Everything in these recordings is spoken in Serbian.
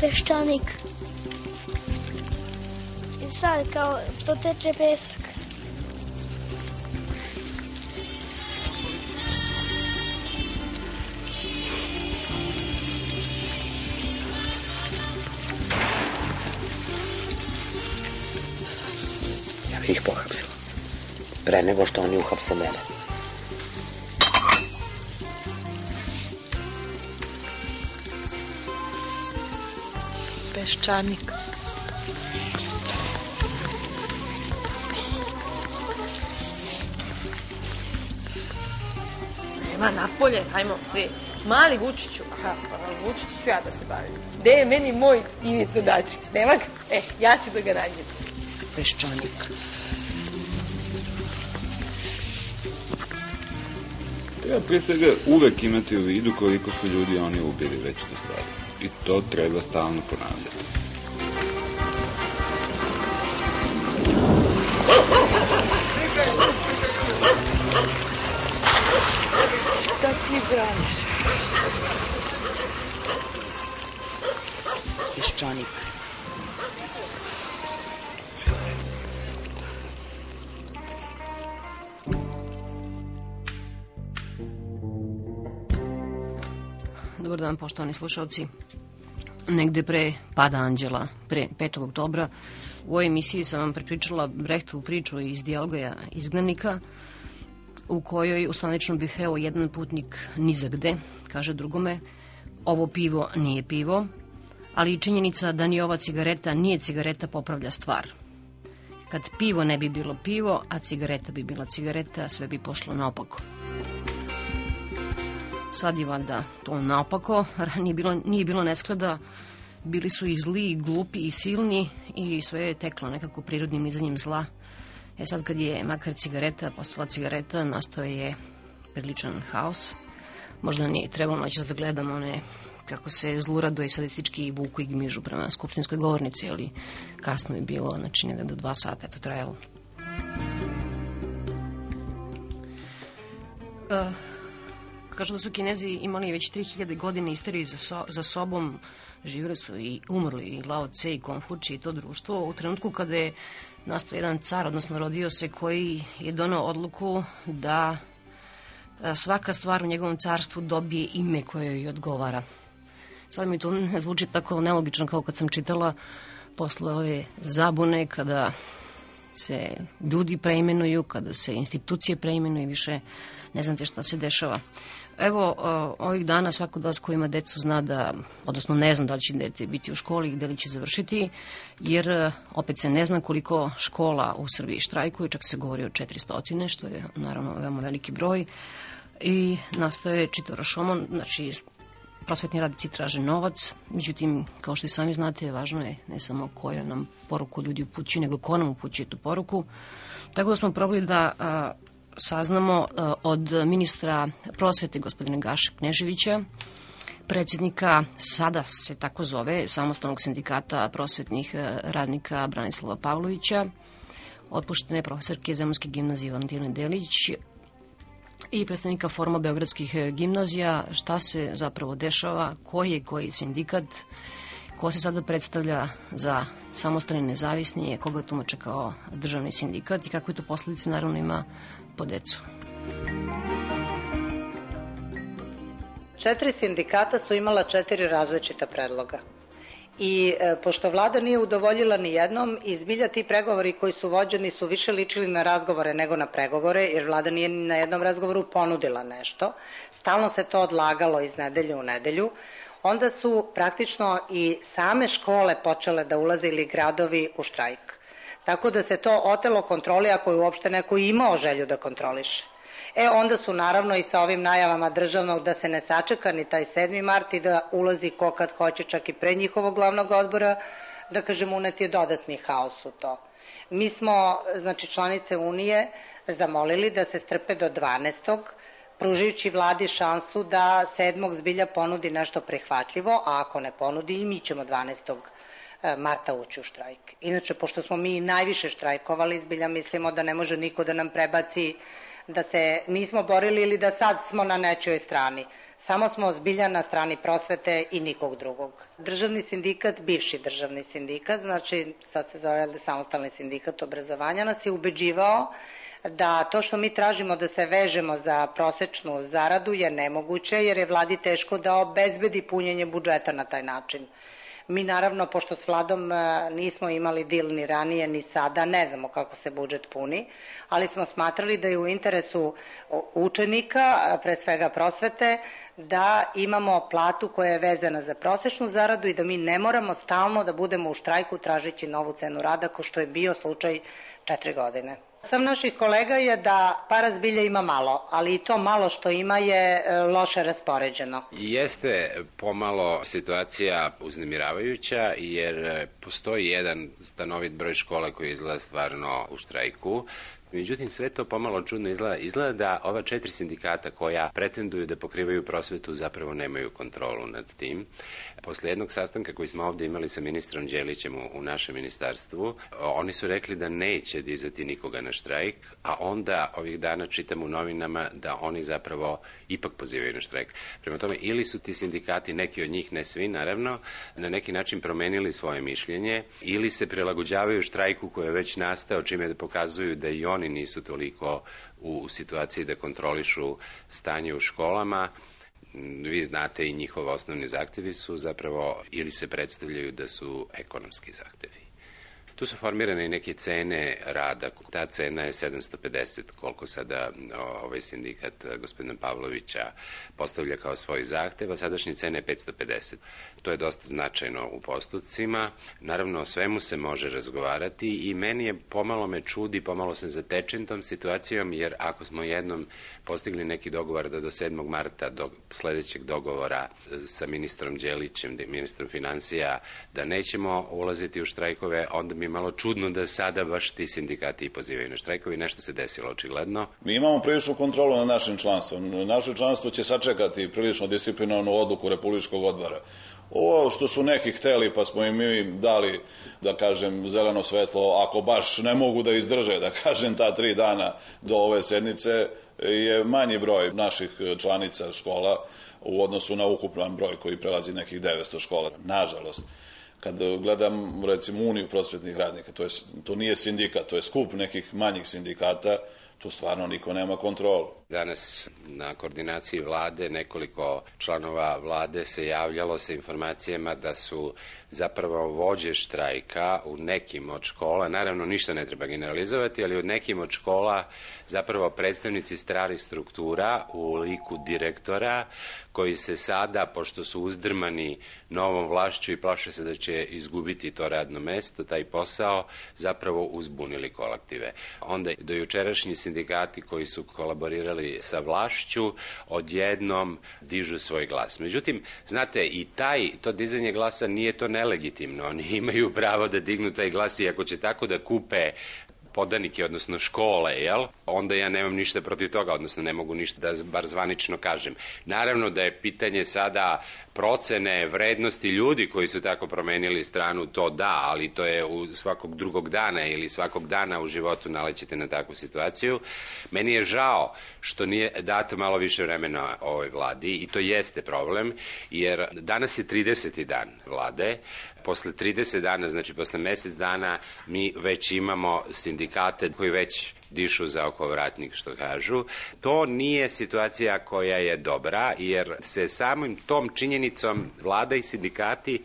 Peščanik. I sad kao što teče pesak. Ja bih ih pohapsila. Pre nego što oni uhapse mene. Peščanik. Nema napolje, hajmo svi. Mali Vučiću, Vučiću ću ja da se bavim. Gde je meni moj Ivica Dačić? Nema ga? Ja ću da ga nađem. Peščanik. Treba prije svega uvek imati u vidu koliko su ljudi oni ubili već do sada. I to treba stalno ponavljati. Šta ti braniš? Peščanik. Dobar dan, poštovani slušalci. Negde pre pada anđela, pre 5. oktobra, u ovoj emisiji sam vam prepričala Brehtovu priču iz Dijaloga izgnanika, u kojoj u staničnom bifeu jedan putnik nizagde kaže drugome: ovo pivo nije pivo, ali i činjenica da ni ova cigareta nije cigareta popravlja stvar. Kad pivo ne bi bilo pivo, a cigareta bi bila cigareta, sve bi pošlo naopako. Sad je valjda to naopako, nije bilo nesklada, bili su i zli, i glupi, i silni i sve je teklo nekako prirodnim nizanjem zla. Sad kad je makar cigareta postala cigareta, nastao je priličan haos. Možda nije trebalo noćas da gledamo one kako se zlurado i sadistički vuku i gmižu prema skupštinskoj govornici, ali kasno je bilo, znači negde do 2 sata je to trajalo. Kažu da su Kinezi imali već 3000 godina istoriju za sobom, živjeli su i umrli i Lao Tse i Konfuči i to društvo u trenutku kada je nastao jedan car, odnosno rodio se, koji je doneo odluku da svaka stvar u njegovom carstvu dobije ime koje joj odgovara. Sad mi to ne zvuči tako nelogično kao kad sam čitala posle ove zabune, kada se ljudi preimenuju, kada se institucije preimenuju i više ne znate šta se dešava. Evo, ovih dana svako od vas ko ima decu zna da, odnosno ne zna da li će dete biti u školi i gde li će završiti, jer opet se ne zna koliko škola u Srbiji štrajkuje, čak se govori o 400, što je naravno veoma veliki broj, i nastaje čitav rašomon, znači prosvetni radnici traže novac, međutim, kao što i sami znate, važno je ne samo koja nam poruku ljudi upućuju, nego ko nam upućuje tu poruku. Tako da smo probali da saznamo od ministra prosvete, gospodina Gaše Kneževića, predsjednika, sada se tako zove, Samostalnog sindikata prosvetnih radnika Branislava Pavlovića, otpuštene profesorke Zemunske gimnazije Valentine Delić i predstavnika Foruma beogradskih gimnazija, šta se zapravo dešava, koji sindikat, ko se sada predstavlja za samostalni nezavisni, koga tumače kao državni sindikat i kakve to posledice naravno ima po decu. 4 sindikata su imala 4 različita predloga. I pošto vlada nije udovoljila ni jednom, i zbilja ti pregovori koji su vođeni su više ličili na razgovore nego na pregovore, jer vlada nije ni na jednom razgovoru ponudila nešto. Stalno se to odlagalo iz nedelje u nedelju. Onda su praktično i same škole počele da ulaze ili gradovi u štrajk. Tako da se to otelo kontroli ako je uopšte neko imao želju da kontroliše. Onda su naravno i sa ovim najavama državnog da se ne sačeka ni taj 7. mart i da ulazi ko kad hoće, čak i pre njihovog glavnog odbora, da kažem, unet je dodatni haos u to. Mi smo, znači članice Unije, zamolili da se strpe do 12. pružajući vladi šansu da 7. zbilja ponudi nešto prihvatljivo, a ako ne ponudi i mi ćemo 12. marta ući u štrajk. Inače, pošto smo mi najviše štrajkovali, zbilja mislimo da ne može niko da nam prebaci da se nismo borili ili da sad smo na nečijoj strani. Samo smo zbilja na strani prosvete i nikog drugog. Državni sindikat, bivši državni sindikat, znači sad se zove Samostalni sindikat obrazovanja, nas je ubeđivao da to što mi tražimo da se vežemo za prosečnu zaradu je nemoguće, jer je vladi teško da obezbedi punjenje budžeta na taj način. Mi naravno, pošto s vladom nismo imali dil ni ranije ni sada, ne znamo kako se budžet puni, ali smo smatrali da je u interesu učenika, pre svega prosvete, da imamo platu koja je vezana za prosečnu zaradu i da mi ne moramo stalno da budemo u štrajku tražeći novu cenu rada, ko što je bio slučaj 4 godine. Sam naših kolega je da para zbilja ima malo, ali i to malo što ima je loše raspoređeno. Jeste pomalo situacija uznemiravajuća, jer postoji jedan stanovit broj škola koji izgleda stvarno u štrajku. Međutim, sve to pomalo čudno izgleda. Izgleda da ova 4 sindikata koja pretenduju da pokrivaju prosvetu zapravo nemaju kontrolu nad tim. Posle jednog sastanka koji smo ovdje imali sa ministrom Đelićem u našem ministarstvu, oni su rekli da neće dizati nikoga na štrajk, a onda ovih dana čitam u novinama da oni zapravo ipak pozivaju na štrajk. Prema tome, ili su ti sindikati, neki od njih, ne svi naravno, na neki način promenili svoje mišljenje, ili se prilagođavaju štrajku koji je već nastao, čime da pokazuju da i oni nisu toliko u situaciji da kontrolišu stanje u školama. Vi znate, i njihovi osnovni zahtevi su zapravo, ili se predstavljaju da su ekonomski zahtevi. Tu su formirane i neke cene rada. Ta cena je 750, koliko sada ovaj sindikat gospodina Pavlovića postavlja kao svoj zahtev, a sadašnje cene je 550. To je dosta značajno u postotcima. Naravno, o svemu se može razgovarati i meni je pomalo me čudi, pomalo sam zatečen tom situacijom, jer ako smo jednom postigli neki dogovor da do 7. marta, do sledećeg dogovora sa ministrom Đelićem, ministrom finansija, da nećemo ulaziti u štrajkove, onda mi je malo čudno da sada baš ti sindikati pozivaju na štrajkovi. Nešto se desilo očigledno. Mi imamo priličnu kontrolu nad našim članstvom. Naše članstvo će sačekati prilično disciplinovanu odluku Republičkog odbora. Ovo što su neki hteli, pa smo im mi dali, da kažem, zeleno svetlo, ako baš ne mogu da izdrže, da kažem, ta 3 dana do ove sednice, je manji broj naših članica škola u odnosu na ukupan broj koji prelazi nekih 900 škola. Nažalost, kad gledam, recimo, Uniju prosvetnih radnika, to nije sindikat, to je skup nekih manjih sindikata, tu stvarno niko nema kontrolu. Danas na koordinaciji vlade nekoliko članova vlade se javljalo sa informacijama da su zapravo vođe štrajka u nekim od škola, naravno ništa ne treba generalizovati, ali u nekim od škola zapravo predstavnici starih struktura u liku direktora koji se sada, pošto su uzdrmani novom vlašću i plaše se da će izgubiti to radno mesto, taj posao, zapravo uzbunili kolektive. Onda do jučerašnji sindikati koji su kolaborirali sa vlašću odjednom dižu svoj glas. Međutim, znate, i to dizanje glasa nije to nelegitimno. Oni imaju pravo da dignu taj glas i ako će tako da kupe podanike, odnosno škole, onda ja nemam ništa protiv toga, odnosno ne mogu ništa da bar zvanično kažem. Naravno da je pitanje sada procene vrednosti ljudi koji su tako promenili stranu, to da, ali to je u svakog drugog dana ili svakog dana u životu nalećete na takvu situaciju. Meni je žao što nije dato malo više vremena ovoj vladi i to jeste problem, jer danas je 30. dan vlade. Posle 30 dana, znači posle mesec dana, mi već imamo sindikate koji već dišu za okovratnik, što kažu. To nije situacija koja je dobra, jer se samim tom činjenicom vlada i sindikati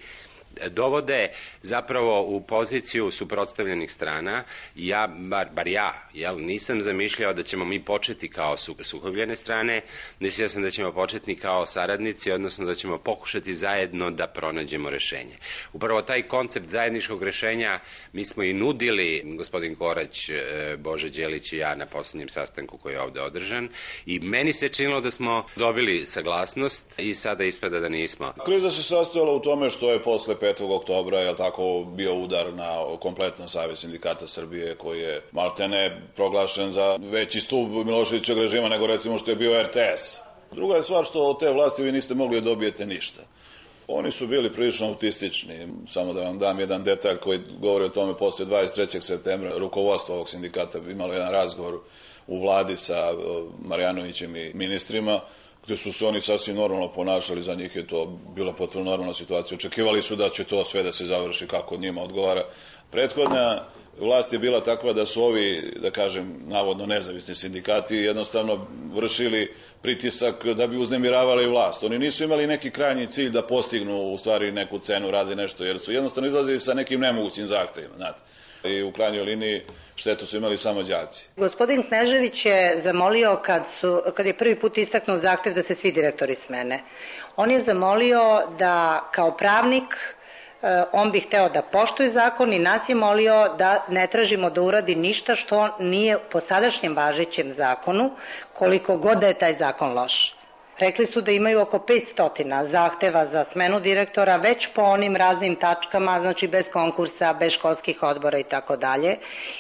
dovode zapravo u poziciju suprotstavljenih strana. Ja, bar ja, nisam zamišljao da ćemo mi početi kao sukobljene strane, mislio sam da ćemo početi kao saradnici, odnosno da ćemo pokušati zajedno da pronađemo rešenje. Upravo taj koncept zajedničkog rešenja mi smo i nudili, gospodin Korać, Bože Đelić i ja, na poslednjem sastanku koji je ovde održan, i meni se činilo da smo dobili saglasnost i sada ispada da nismo. Kriza se sastojala u tome što je posle 5. oktobra, je tako, bio udar na kompletan Savez sindikata Srbije, koji je maltene proglašen za veći stub Miloševićevog režima nego recimo što je bio RTS. Druga je stvar što od te vlasti vi niste mogli da dobijete ništa. Oni su bili prilično autistični, samo da vam dam jedan detalj koji govori o tome. Posle 23. septembra rukovodstvo ovog sindikata imalo jedan razgovor u vladi sa Marjanovićem i ministrima, gde su se oni sasvim normalno ponašali, za njih je to bila potpuno normalna situacija. Očekivali su da će to sve da se završi kako njima odgovara. Prethodna vlast je bila takva da su ovi, da kažem, navodno nezavisni sindikati jednostavno vršili pritisak da bi uznemiravali vlast. Oni nisu imali neki krajnji cilj da postignu u stvari neku cenu, radi nešto, jer su jednostavno izlazili sa nekim nemogućim zahtevima, znate. I u krajnjoj liniji štetu su imali samo đaci. Gospodin Knežević je zamolio, kad je prvi put istaknuo zahtev da se svi direktori smene, on je zamolio da kao pravnik on bi hteo da poštuje zakon i nas je molio da ne tražimo da uradi ništa što nije po sadašnjem važećem zakonu, koliko god da je taj zakon loš. Rekli su da imaju oko 500 zahteva za smenu direktora, već po onim raznim tačkama, znači bez konkursa, bez školskih odbora i tako dalje,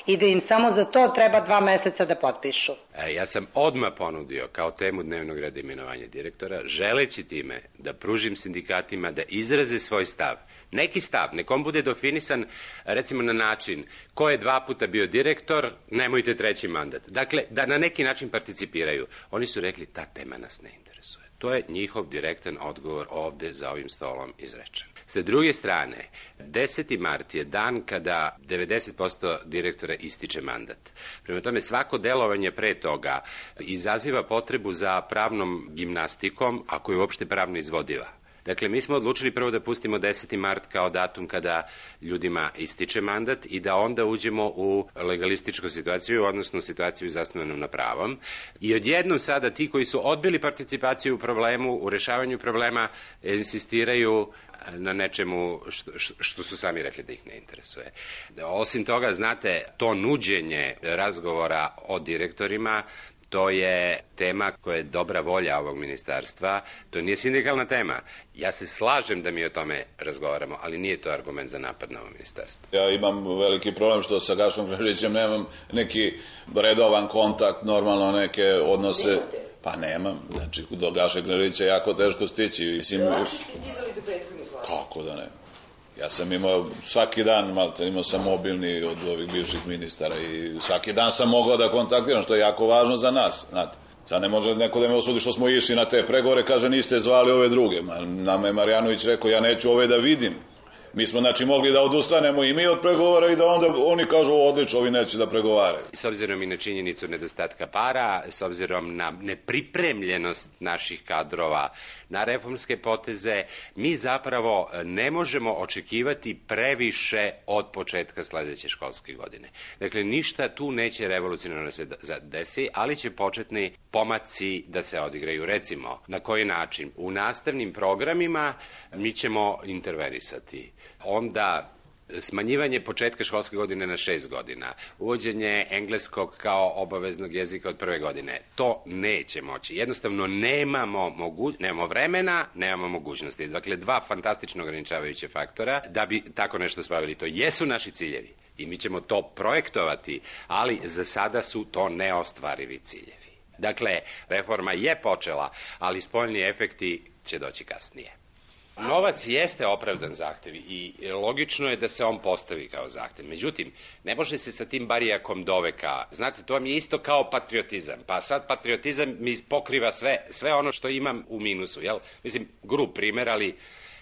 i da im samo za to treba 2 meseca da potpišu. Ja sam odmah ponudio kao temu dnevnog reda imenovanja direktora, želeći time da pružim sindikatima da izraze svoj stav. Neki stav, nekom bude definisan recimo na način ko je 2 puta bio direktor, nemojte 3. mandat. Dakle, da na neki način participiraju. Oni su rekli, ta tema nas ne interesuje. To je njihov direktan odgovor ovde za ovim stolom izrečen. Sa druge strane, 10. mart je dan kada 90% direktora ističe mandat. Prema tome, svako delovanje pre toga izaziva potrebu za pravnom gimnastikom, ako je uopšte pravno izvodiva. Dakle, mi smo odlučili prvo da pustimo 10. mart kao datum kada ljudima ističe mandat i da onda uđemo u legalističku situaciju, odnosno situaciju zasnovanu na pravom. I odjednom sada ti koji su odbili participaciju u problemu, u rešavanju problema, insistiraju na nečemu što su sami rekli da ih ne interesuje. Osim toga, znate, to nuđenje razgovora o direktorima, to je tema koja je dobra volja ovog ministarstva, to nije sindikalna tema. Ja se slažem da mi o tome razgovaramo, ali nije to argument za napad na ovo ministarstvo. Ja imam veliki problem što sa Gašom Kneževićem nemam neki redovan kontakt, normalno neke odnose. Pa nemam, znači do Gaše Kneževića je jako teško stići. Lakše ste stizali do prethodnih vlada. Kako da ne? Ja sam imao svaki dan, imao sam mobilni od ovih bivših ministara i svaki dan sam mogao da kontaktiram, što je jako važno za nas, znate. Sad ne može neko da me osudi što smo išli na te pregovore, kaže niste zvali ove druge. Nama je Marjanović rekao ja neću ove da vidim. Mi smo znači mogli da odustanemo i mi od pregovora i da onda oni kažu odlično, ovi neće da pregovaraju. S obzirom i na činjenicu nedostatka para, s obzirom na nepripremljenost naših kadrova na reformske poteze, mi zapravo ne možemo očekivati previše od početka sledeće školske godine. Dakle, ništa tu neće revolucionarno se desi, ali će početni pomaci da se odigraju. Recimo, na koji način? U nastavnim programima mi ćemo intervenisati. Onda smanjivanje početka školske godine na 6 godina, uvođenje engleskog kao obaveznog jezika od 1. godine, to neće moći. Jednostavno nemamo vremena, nemamo mogućnosti. Dakle, 2 fantastično ograničavajuće faktora da bi tako nešto spravili. To jesu naši ciljevi i mi ćemo to projektovati, ali za sada su to neostvarivi ciljevi. Dakle, reforma je počela, ali spoljni efekti će doći kasnije. Novac jeste opravdan zahtev i logično je da se on postavi kao zahtev. Međutim, ne može se sa tim barijakom doveka. Znate, to mi je isto kao patriotizam. Pa sad patriotizam mi pokriva sve ono što imam u minusu. Jel? Mislim, grub primer, ali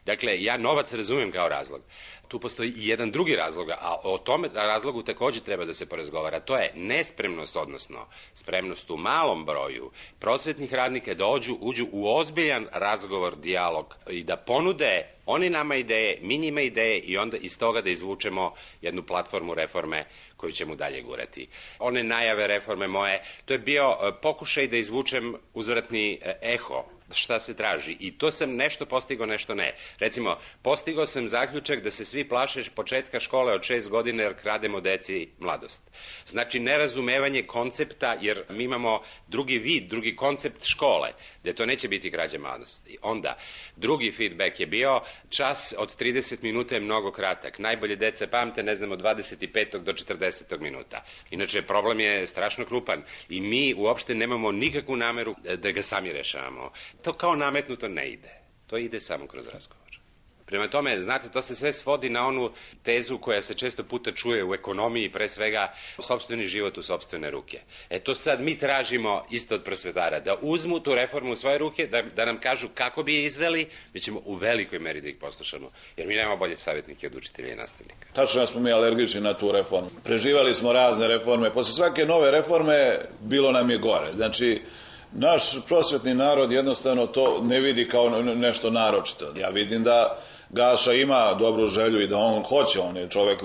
dakle, ja novac razumem kao razlog. Tu postoji i jedan drugi razlog, a o tome razlogu takođe treba da se porazgovara. To je nespremnost, odnosno spremnost u malom broju prosvetnih radnika da uđu u ozbiljan razgovor, dijalog i da ponude oni nama ideje, mi njima ideje i onda iz toga da izvučemo jednu platformu reforme koju ćemo dalje gurati. One najave reforme moje, to je bio pokušaj da izvučem uzvratni eho šta se traži i to sam nešto postigao, nešto ne. Recimo, postigao sam zaključak da se svi plaše početka škole od 6 godina jer krademo deci mladost. Znači, nerazumevanje koncepta, jer mi imamo drugi vid, drugi koncept škole, gde to neće biti krađa mladosti. Onda, drugi feedback je bio, čas od 30 minuta je mnogo kratak. Najbolje deca pamte, ne znam, od 25. do 40. minuta. Inače, problem je strašno krupan i mi uopšte nemamo nikakvu nameru da ga sami rešavamo. To kao nametnuto ne ide. To ide samo kroz razgovor. Prema tome, znate, to se sve svodi na onu tezu koja se često puta čuje u ekonomiji, pre svega sopstveni život u sopstvene ruke. To sad mi tražimo isto od prosvetara, da uzmu tu reformu u svoje ruke, da nam kažu kako bi je izveli, mi ćemo u velikoj meri da ih poslušamo, jer mi nemamo bolje savjetnike od učitelja i nastavnika. Tačno smo mi alergični na tu reformu. Preživali smo razne reforme, posle svake nove reforme bilo nam je gore. Znači, naš prosvetni narod jednostavno to ne vidi kao nešto naročito. Ja vidim da Gaša ima dobru želju i da on hoće, on je čovek,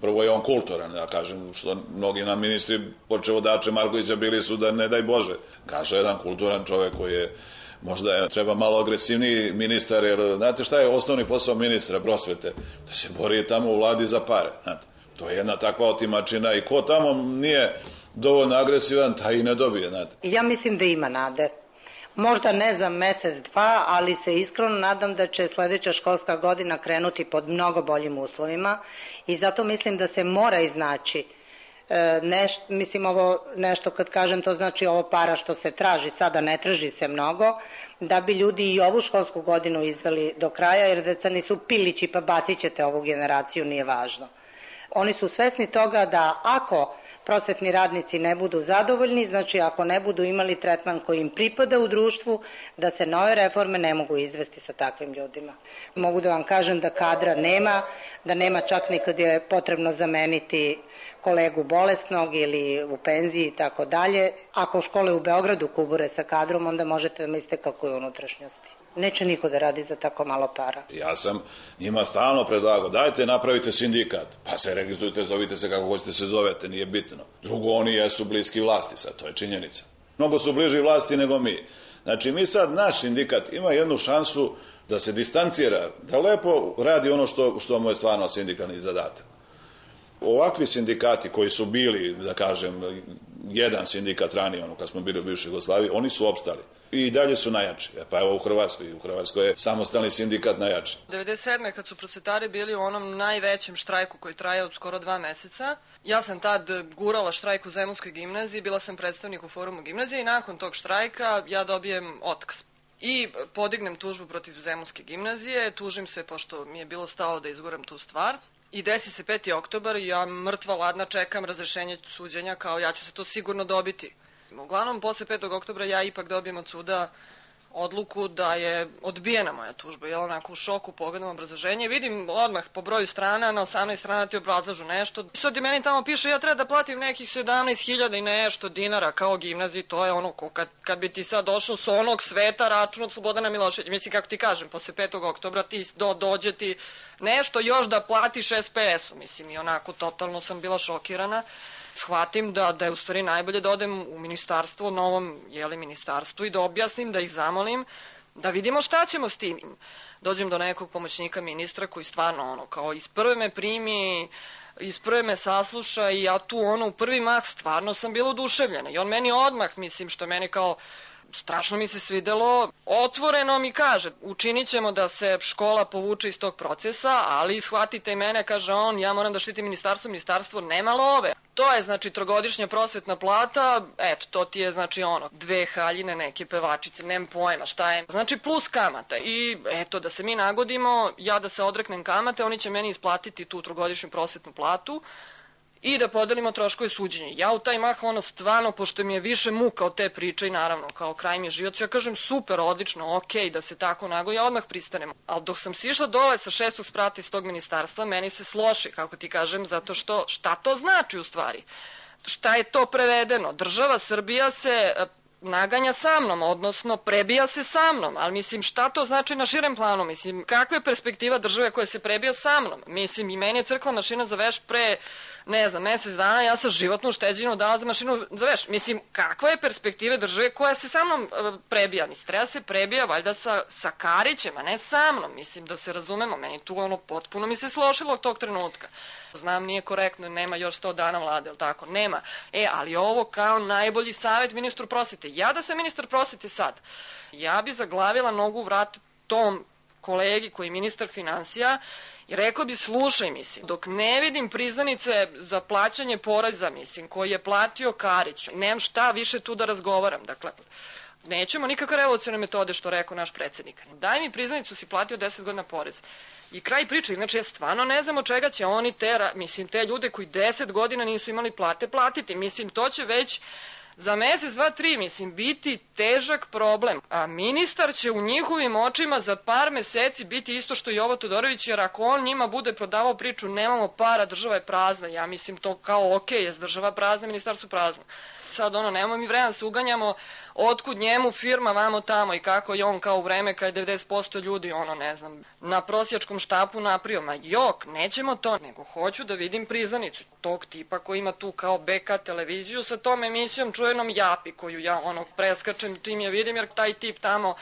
prvo je on kulturan, da kažem, što mnogi nam ministri, počevo Dače Markovića, bili su da ne daj Bože. Gaša je jedan kulturan čovek koji je, možda treba malo agresivniji ministar, jer znate šta je osnovni posao ministra prosvete? Da se bori tamo u vladi za pare, znate. To je jedna takva otimačina i ko tamo nije dovoljno agresivan, taj i ne dobije, znate. Ja mislim da ima nade. Možda ne za mesec, dva, ali se iskreno nadam da će sledeća školska godina krenuti pod mnogo boljim uslovima i zato mislim da se mora iznaći mislim ovo nešto kad kažem to znači ovo para što se traži, sada ne traži se mnogo, da bi ljudi i ovu školsku godinu izveli do kraja, jer deca nisu pilići pa bacit ćete ovu generaciju, nije važno. Oni su svesni toga da ako prosvetni radnici ne budu zadovoljni, znači ako ne budu imali tretman koji im pripada u društvu, da se nove reforme ne mogu izvesti sa takvim ljudima. Mogu da vam kažem da kadra nema, da nema čak ni kad je potrebno zameniti kolegu bolesnog ili u penziji i tako dalje. Ako škole u Beogradu kubure sa kadrom, onda možete da mislite kako je unutrašnjosti. Neće niko da radi za tako malo para. Ja sam njima stalno predlagao, dajte napravite sindikat, pa se registrujte, zovite se kako hoćete se zovete, nije bitno. Drugo, oni jesu bliski vlasti sad, to je činjenica. Mnogo su bliži vlasti nego mi. Znači, mi sad, naš sindikat ima jednu šansu da se distancira, da lepo radi ono što mu je stvarno sindikalni zadatak. Ovakvi sindikati koji su bili, da kažem, jedan sindikat ranije, kad smo bili u bivšoj Jugoslaviji, oni su opstali. I dalje su najjači. Pa evo u Hrvatskoj je samostalni sindikat najjači. 1997. kad su prosvetari bili u onom najvećem štrajku koji traje od skoro 2 meseca, ja sam tad gurala štrajk u Zemunskoj gimnaziji, bila sam predstavnik u forumu gimnazije i nakon tog štrajka ja dobijem otkaz. I podignem tužbu protiv Zemunske gimnazije, tužim se pošto mi je bilo stalo da izguram tu stvar. I desi se 5. oktobar i ja mrtva ladna čekam razrešenje suđenja kao ja ću se to sigurno dobiti. Uglavnom, posle 5. oktobra ja ipak dobijem od suda odluku da je odbijena moja tužba. Ja onako u šoku pogledam obrazloženje. Vidim odmah po broju strana, na 18 strana ti obrazlažu nešto. Sad i meni tamo piše ja treba da platim nekih 17.000 i nešto dinara kao gimnaziji. To je ono kad bi ti sad došao s onog sveta račun od Slobodana Miloševića. Mislim kako ti kažem, posle 5. oktobra ti dođe ti nešto još da platiš SPS-u. Mislim i onako totalno sam bila šokirana. Shvatim da je u stvari najbolje da odem u ministarstvo, novom ministarstvu i da objasnim, da ih zamolim, da vidimo šta ćemo s tim. Dođem do nekog pomoćnika ministra koji stvarno kao iz prve me primi, iz prve me sasluša i ja tu u prvi mah stvarno sam bila oduševljena. I on meni odmah, mislim, što meni kao strašno mi se svidelo, otvoreno mi kaže, učinit ćemo da se škola povuče iz tog procesa, ali shvatite i mene, kaže on, ja moram da štitim ministarstvo nema love. To je, znači, 3-godišnja prosvetna plata, eto, to ti je, znači, 2 haljine, neke pevačice, nemam pojma, šta je, znači, plus kamata. I, eto, da se mi nagodimo, ja da se odreknem kamate, oni će meni isplatiti tu 3-godišnju prosvetnu platu, i da podelimo troškove suđenja. Ja u taj mah, stvarno, pošto mi je više muka od te priče i naravno, kao kraj mi je život, ja kažem super, odlično, okej, da se tako nagoji, ja odmah pristanem. Ali dok sam sišla dole sa 6. sprata iz tog ministarstva, meni se sloši, kako ti kažem, zato što šta to znači u stvari? Šta je to prevedeno? Država Srbija se naganja sa mnom, odnosno prebija se sa mnom, ali mislim šta to znači na širem planu, mislim kakva je perspektiva države koja se prebija sa mnom, mislim i meni je crkla mašina za veš pre, ne znam, mesec dana, ja sam životnu ušteđenu dala za mašinu za veš, mislim kakva je perspektiva države koja se sa mnom prebija, mislim treba se prebija valjda sa Karićem, a ne sa mnom, mislim da se razumemo, meni tu potpuno mi se slošilo od tog trenutka. Znam, nije korektno, nema još 100 dana vlade, ali tako, nema. Ali ovo kao najbolji savjet ministru prosvete. Ja da sam ministar prosvete sad, ja bi zaglavila nogu u vrat tom kolegi koji je ministar finansija i rekla bi, slušaj, mislim, dok ne vidim priznanice za plaćanje poreza, mislim, koji je platio Karić, nemam šta više tu da razgovaram. Dakle, Nećemo nikakve revolucionarne metode, što rekao naš predsjednik. Daj mi priznanicu, si platio 10 godina porez. I kraj priče, znači ja stvarno ne znam od čega će oni te ljude koji 10 godina nisu imali plate platiti. Mislim, to će već za mesec, 2, 3, mislim, biti težak problem. A ministar će u njihovim očima za par meseci biti isto što i Jovo Todorović, jer ako on njima bude prodavao priču nemamo para, država je prazna. Ja mislim to kao okej, jest država prazna, ministarstvo prazno. Sad nemamo mi vremena se uganjamo otkud njemu firma vamo tamo i kako je on kao u vreme kada je 90% ljudi ne znam, na prosjačkom štapu naprio. Ma jok, nećemo to, nego hoću da vidim priznanicu tog tipa koji ima tu kao BK televiziju sa tom emisijom čuvenom Japi, koju ja preskačem čim je vidim, jer taj tip tamo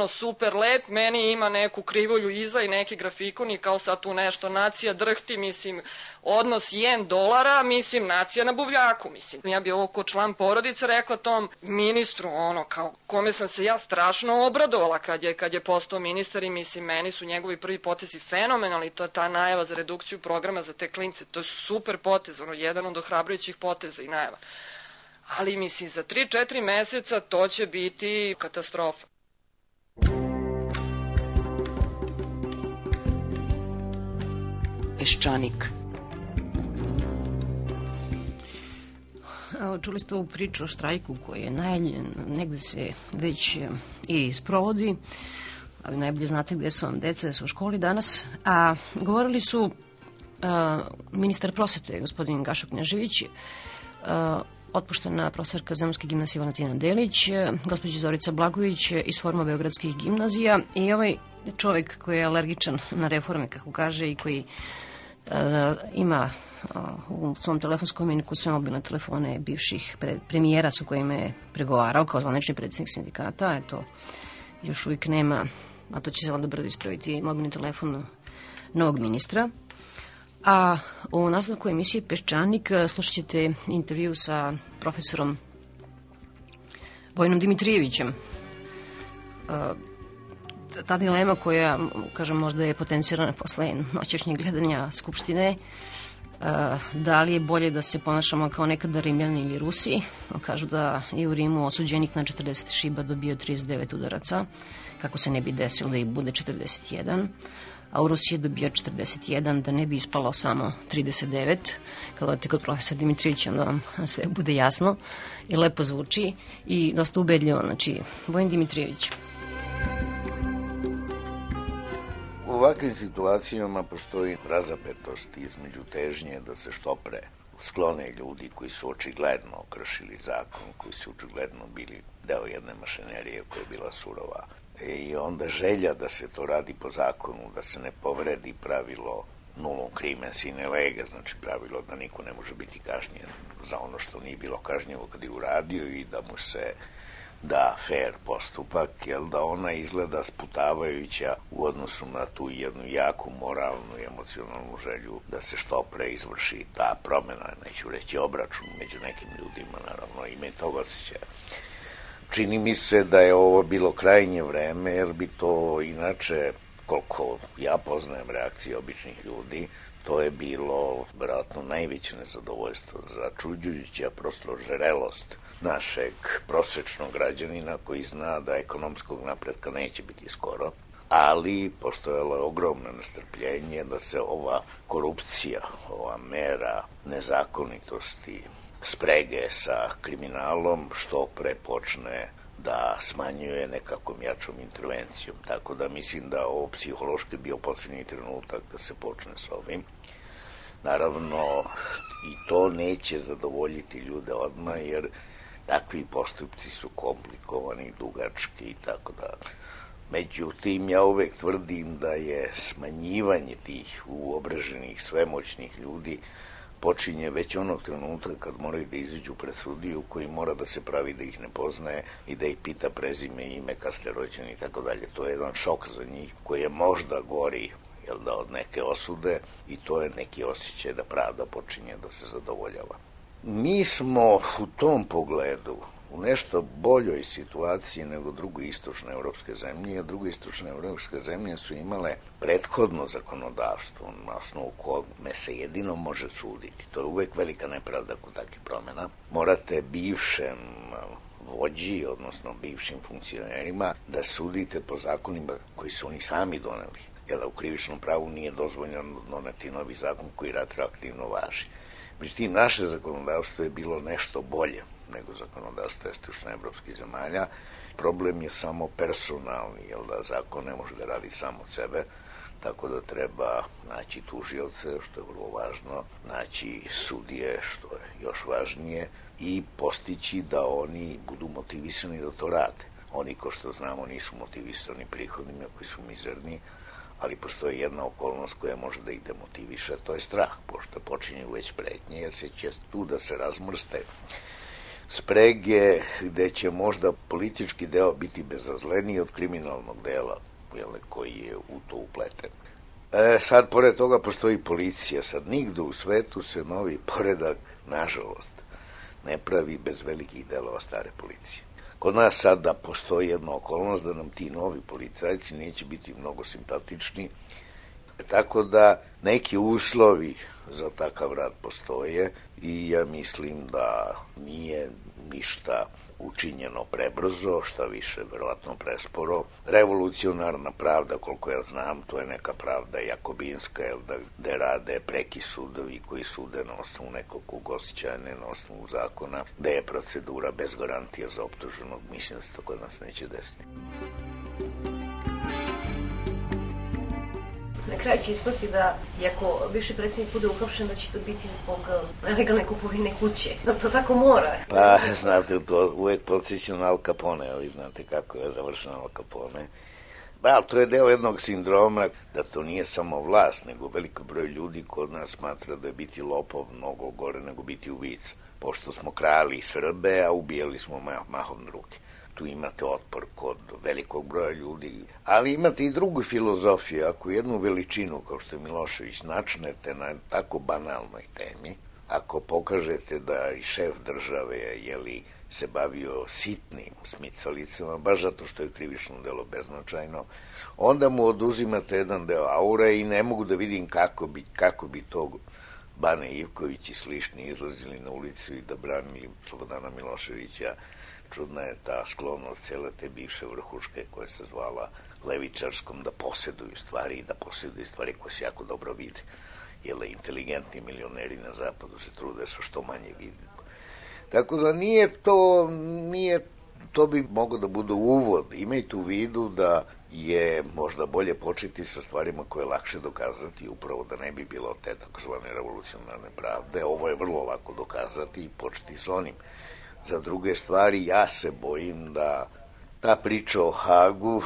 super lep, meni ima neku krivulju iza i neki grafikon i kao sad tu nešto nacija drhti, mislim, odnos $1, mislim, nacija na buvljaku, mislim. Ja bi ovo ko član porodice rekla tom ministru, kao kome sam se ja strašno obradovala kad je postao ministar i mislim, meni su njegovi prvi potezi fenomenalni, to je ta najava za redukciju programa za te klince, to je super potez, jedan od ohrabrujućih poteza i najava. Ali mislim, za 3-4 meseca to će biti katastrofa. Peščanik. Čuli ste ovu priču o štrajku koji je najavljen, negde se već i sprovodi, ali najbolje znate gde su vam deca, da su u školi danas, a govorili su ministar prosvete, gospodin Gašo Knežević, otpuštena profesorka Zemunske gimnazije Valentina Delić, gospođa Zorica Blagović iz Foruma beogradskih gimnazija i ovaj čovek koji je alergičan na reforme, kako kaže, i koji ima u svom telefonskom imeniku sve mobilne telefone bivših premijera sa kojima je pregovarao kao zvanični predsjednik sindikata. Eto, još uvijek nema, a to će se onda brzo ispraviti, mobilni telefon novog ministra. A u nastavku emisije Peščanik slušat ćete intervju sa profesorom Vojinom Dimitrijevićem. Ta dilema koja, kažem, možda je potencirana posle noćešnjeg gledanja Skupštine, da li je bolje da se ponašamo kao nekada Rimljani ili Rusi. Kažu da je u Rimu osuđenik na 40 šiba dobio 39 udaraca, kako se ne bi desilo da ih bude 41, a u Rusiji je dobio 41, da ne bi ispalo samo 39. Kad odete kod profesora Dimitrijevića, onda vam sve bude jasno i lepo zvuči i dosta ubedljivo. Znači, Vojin Dimitrijević. U ovakvim situacijama postoji razapetost između težnje da se što pre sklone ljudi koji su očigledno kršili zakon, koji su očigledno bili deo jedne mašinerije koja je bila surova. I onda želja da se to radi po zakonu, da se ne povredi pravilo nullum crimen sine lege, znači pravilo da niko ne može biti kažnjen za ono što nije bilo kažnjivo kad je uradio i da mu se da fair postupak, jer da ona izgleda sputavajuća u odnosu na tu jednu jaku moralnu i emocionalnu želju da se što pre izvrši ta promjena, neću reći obračun među nekim ljudima, naravno ime toga osjećaja. Čini mi se da je ovo bilo krajnje vreme, jer bi to inače, koliko ja poznajem reakcije običnih ljudi, to je bilo vjerojatno najveće nezadovoljstvo, začuđujuća prosto žerelost našeg prosečnog građanina koji zna da ekonomskog napretka neće biti skoro, ali postojalo je ogromno nestrpljenje da se ova korupcija, ova mera nezakonitosti, sprege sa kriminalom što pre počne da smanjuje nekakvom jačom intervencijom. Tako da mislim da ovo psihološki bio posljednji trenutak da se počne s ovim. Naravno, i to neće zadovoljiti ljude odmah, jer takvi postupci su komplikovani, dugački i tako da. Međutim, ja uvek tvrdim da je smanjivanje tih uobraženih, svemoćnih ljudi počinje već onog trenutka kad moraju da izađu pred sudiju koji mora da se pravi da ih ne poznaje i da ih pita prezime, ime, kad ste rođeni i tako dalje. To je jedan šok za njih koji je možda gori od neke osude i to je neki osjećaj da pravda počinje da se zadovoljava. Mi smo u tom pogledu u nešto boljoj situaciji nego druge istočne evropske zemlje, a druge istočne evropske zemlje su imale prethodno zakonodavstvo na osnovu kome se jedino može suditi. To je uvek velika nepravda kod takvih promjena. Morate bivšem vođi, odnosno bivšim funkcionerima, da sudite po zakonima koji su oni sami doneli. Jer u krivičnom pravu nije dozvoljeno doneti novi zakon koji retroaktivno važi. Međutim, naše zakonodavstvo je bilo nešto bolje nego zakonodavstvo istočnoevropskih zemalja. Problem je samo personalni, jer da zakon ne može da radi samo od sebe, tako da treba naći tužioce, što je vrlo važno, naći sudije, što je još važnije, i postići da oni budu motivisani da to rade. Oni, ko što znamo, nisu motivisani prihodima koji su mizerni, ali postoji jedna okolnost koja može da ih demotiviše, to je strah, pošto počinju već pretnje, jer se će tu da se razmrste sprege, gde će možda politički deo biti bezazleniji od kriminalnog dela, koji je u to upleten. Sad, pored toga, postoji policija. Sad, nigde u svetu se novi poredak, nažalost, ne pravi bez velikih delova stare policije. Kod nas sada postoji jedna okolnost da nam ti novi policajci neće biti mnogo simpatični, tako da neki uslovi za takav rad postoje i ja mislim da nije ništa učinjeno prebrzo, šta više, verovatno presporo. Revolucionarna pravda, koliko ja znam, to je neka pravda jakobinska, gde rade preki sudovi koji sude na osnovu nekog osjećaja, ne na osnovu zakona, gde je procedura bez garantija za optuženog. Mislim da se to kod nas neće desiti. Na kraju će ispasti da, iako bivši predsjednik bude uhapšen, da će to biti zbog nelegalne kupovine kuće. Da to tako mora. Pa, znate, to uvek podsjeća na Al Capone, vi znate kako je završeno Al Capone. Da, to je deo jednog sindroma, da to nije samo vlast, nego veliko broj ljudi kod nas smatra da je biti lopov mnogo gore nego biti ubica. Pošto smo krali Srbe, a ubijali smo mahom druge. Tu imate otpor kod velikog broja ljudi, ali imate i drugu filozofiju. Ako jednu veličinu, kao što je Milošević, načnete na tako banalnoj temi, ako pokažete da i šef države se bavio sitnim smicalicama, baš zato što je krivično delo beznačajno, onda mu oduzimate jedan deo aure i ne mogu da vidim kako bi to Bane Ivković i slični izlazili na ulicu i da branili Slobodana Miloševića. Čudna je ta sklonost cijele te bivše vrhuške koja se zvala levičarskom, da posjeduju stvari i da posjeduju stvari koje se jako dobro vide. Jer inteligentni milioneri na zapadu se trude sa što manje vidi. Tako da to bi moglo da bude uvod. Imajte u vidu da je možda bolje početi sa stvarima koje je lakše dokazati, upravo da ne bi bilo te takozvane revolucionarne pravde. Ovo je vrlo lako dokazati i početi s onim. Za druge stvari, ja se bojim da ta priča o Hagu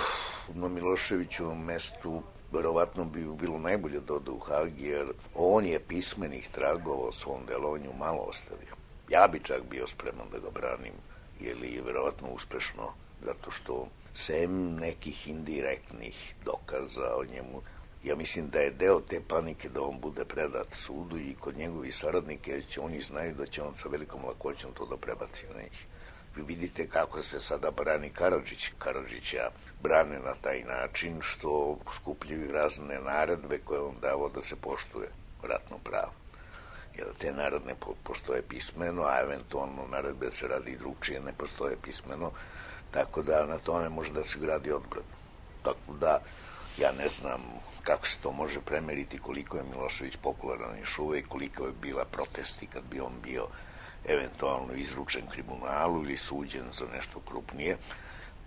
na Miloševićevom mestu verovatno bi bilo najbolje da ode u Hag, jer on je pismenih tragova o svom delovanju malo ostavio. Ja bi čak bio spreman da ga branim, jer je verovatno uspešno, zato što sem nekih indirektnih dokaza o njemu, ja mislim da je deo te panike da on bude predat sudu i kod njegovih saradnika, jer oni znaju da će on sa velikom lakoćom to da prebaci na njih. Vi vidite kako se sada brani Karadžić. Karadžića brane na taj način što skupljaju razne naredbe koje on davo da se poštuje ratno pravo. Jer te naredne postoje pismeno, a eventualno naredbe se radi i drugčije, ne postoje pismeno, tako da na tome može da se gradi odbrana. Tako da, ja ne znam kako se to može premeriti, koliko je Milošević popularan još uvek, koliko je bila protesti kad bi on bio eventualno izručen kriminalu ili suđen za nešto krupnije,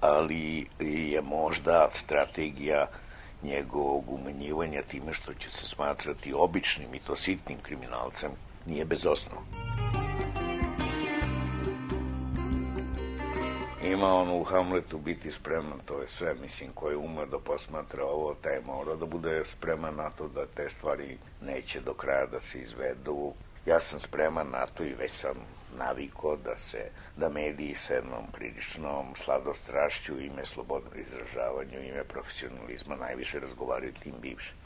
ali je možda strategija njegovog umanjivanja time što će se smatrati običnim i to sitnim kriminalcem nije bez osnova. Ima on u Hamletu biti spreman, to je sve, mislim, koji ume da posmatra ovo, taj mora da bude spreman na to da te stvari neće do kraja da se izvedu. Ja sam spreman na to i već sam navikao da mediji sa jednom priličnom sladostrašću, ime slobodnog izražavanja, ime profesionalizma najviše razgovaraju tim bivšim.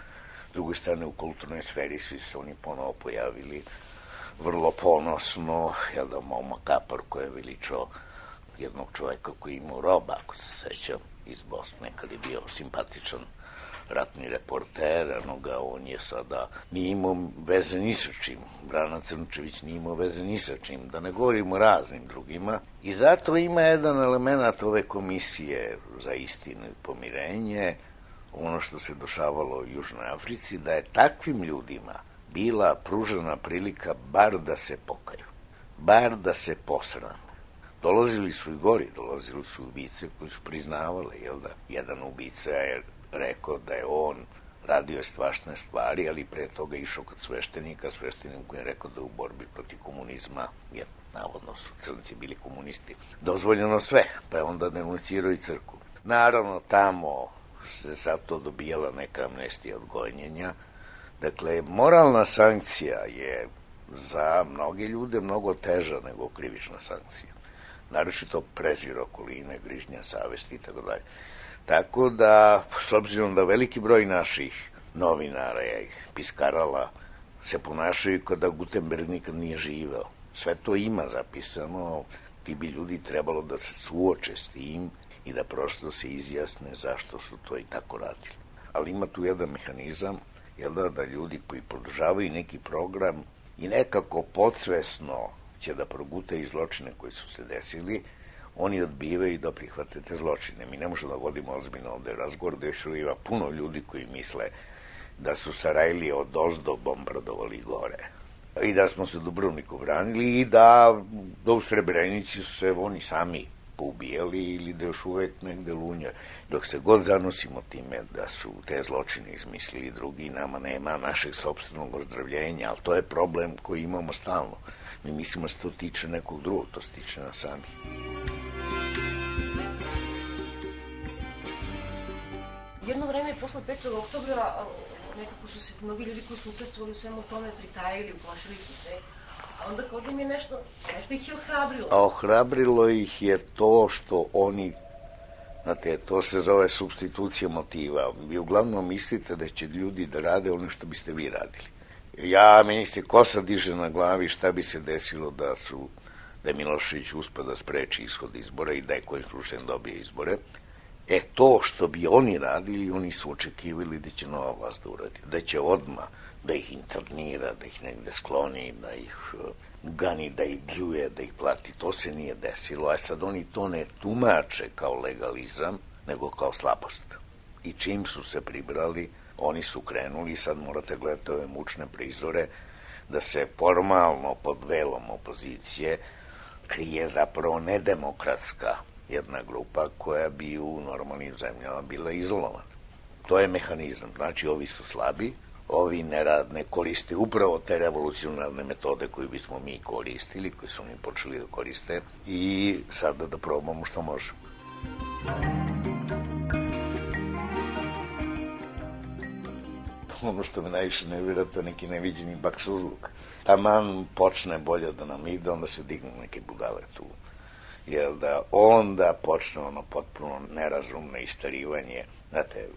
S druge strane, u kulturnoj sferi svi su oni ponovo pojavili vrlo ponosno, Moma Kapar koji je veličao jednog čoveka koji imao roba, ako se sećam, iz Bosne, kad je bio simpatičan ratni reporter, on je sada, nije imao veze ni sa čim, Brana Crnčević nije imao veze ni sa čim, da ne govorimo o raznim drugima. I zato ima jedan element ove komisije za istinu i pomirenje, ono što se dešavalo u Južnoj Africi, da je takvim ljudima bila pružena prilika bar da se pokaju, bar da se posrame. Dolazili su i gori, dolazili su ubice koji su priznavali, jedan ubica je rekao da je on radio strašne stvari, ali pre toga išao kod sveštenika, sveštenik koji je rekao da u borbi protiv komunizma, jer navodno su crnci bili komunisti, dozvoljeno sve, pa je onda denuncirao i crkvu. Naravno, tamo se sad to dobijala neka amnestija od gonjenja. Dakle, moralna sankcija je za mnoge ljude mnogo teža nego krivična sankcija. Naročito prezir okoline, grižnja savesti itd. Tako da, s obzirom da veliki broj naših novinara i piskarala se ponašaju kao da Gutenberg nikad nije živeo. Sve to ima zapisano, ti bi ljudi trebalo da se suoče s tim i da prosto se izjasne zašto su to i tako radili. Ali ima tu jedan mehanizam, da ljudi koji podržavaju neki program i nekako podsvesno će da progutaju zločine koji su se desili, oni odbivaju da prihvate te zločine. Mi ne možemo da vodimo ozbiljno ovde razgovor, da još ima puno ljudi koji misle da su Sarajlije od ozdo bombardovali gore i da smo se Dubrovniku branili i da u Srebrenici su se oni sami poubijali ili da još uvek negde lunja. Dok se god zanosimo time da su te zločine izmislili drugi, nama nema našeg sopstvenog ozdravljenja, ali to je problem koji imamo stalno. Mi mislimo da se to tiče nekog drugog, to se tiče nas sami. Jedno vreme posle 5. oktobra nekako su se mnogi ljudi koji su učestvovali u svemu tome pritajili, uplašili su se. A onda kod im je nešto ih je ohrabrilo. A ohrabrilo ih je to što oni, znate, to se zove supstitucija motiva. Vi uglavnom mislite da će ljudi da rade ono što biste vi radili. Meni se kosa diže na glavi šta bi se desilo da je Milošević uspeo da spreči ishod izbora i da je kojim slučajem dobije izbore. To što bi oni radili, oni su očekivali da će nova vlast da uradi. Da će odmah da ih internira, da ih negde skloni, da ih gani, da ih bljuje, da ih plati. To se nije desilo, a sad oni to ne tumače kao legalizam, nego kao slabost. I čim su se pribrali, oni su krenuli, sad morate gledati ove mučne prizore, da se formalno pod velom opozicije krije zapravo nedemokratska jedna grupa koja bi u normalnim zemljama bila izolovana. To je mehanizam. Znači, ovi su slabi, ovi ne koriste upravo te revolucionarne metode koje bismo mi koristili, koje su oni počeli da koriste i sada da probamo što možemo. Ono što me najviše nervira, to je neki neviđeni baksuzluk. Taman počne bolje da nam ide, onda se dignu neke budale tu. Jer da onda počne ono potpuno nerazumno istarivanje. Znate,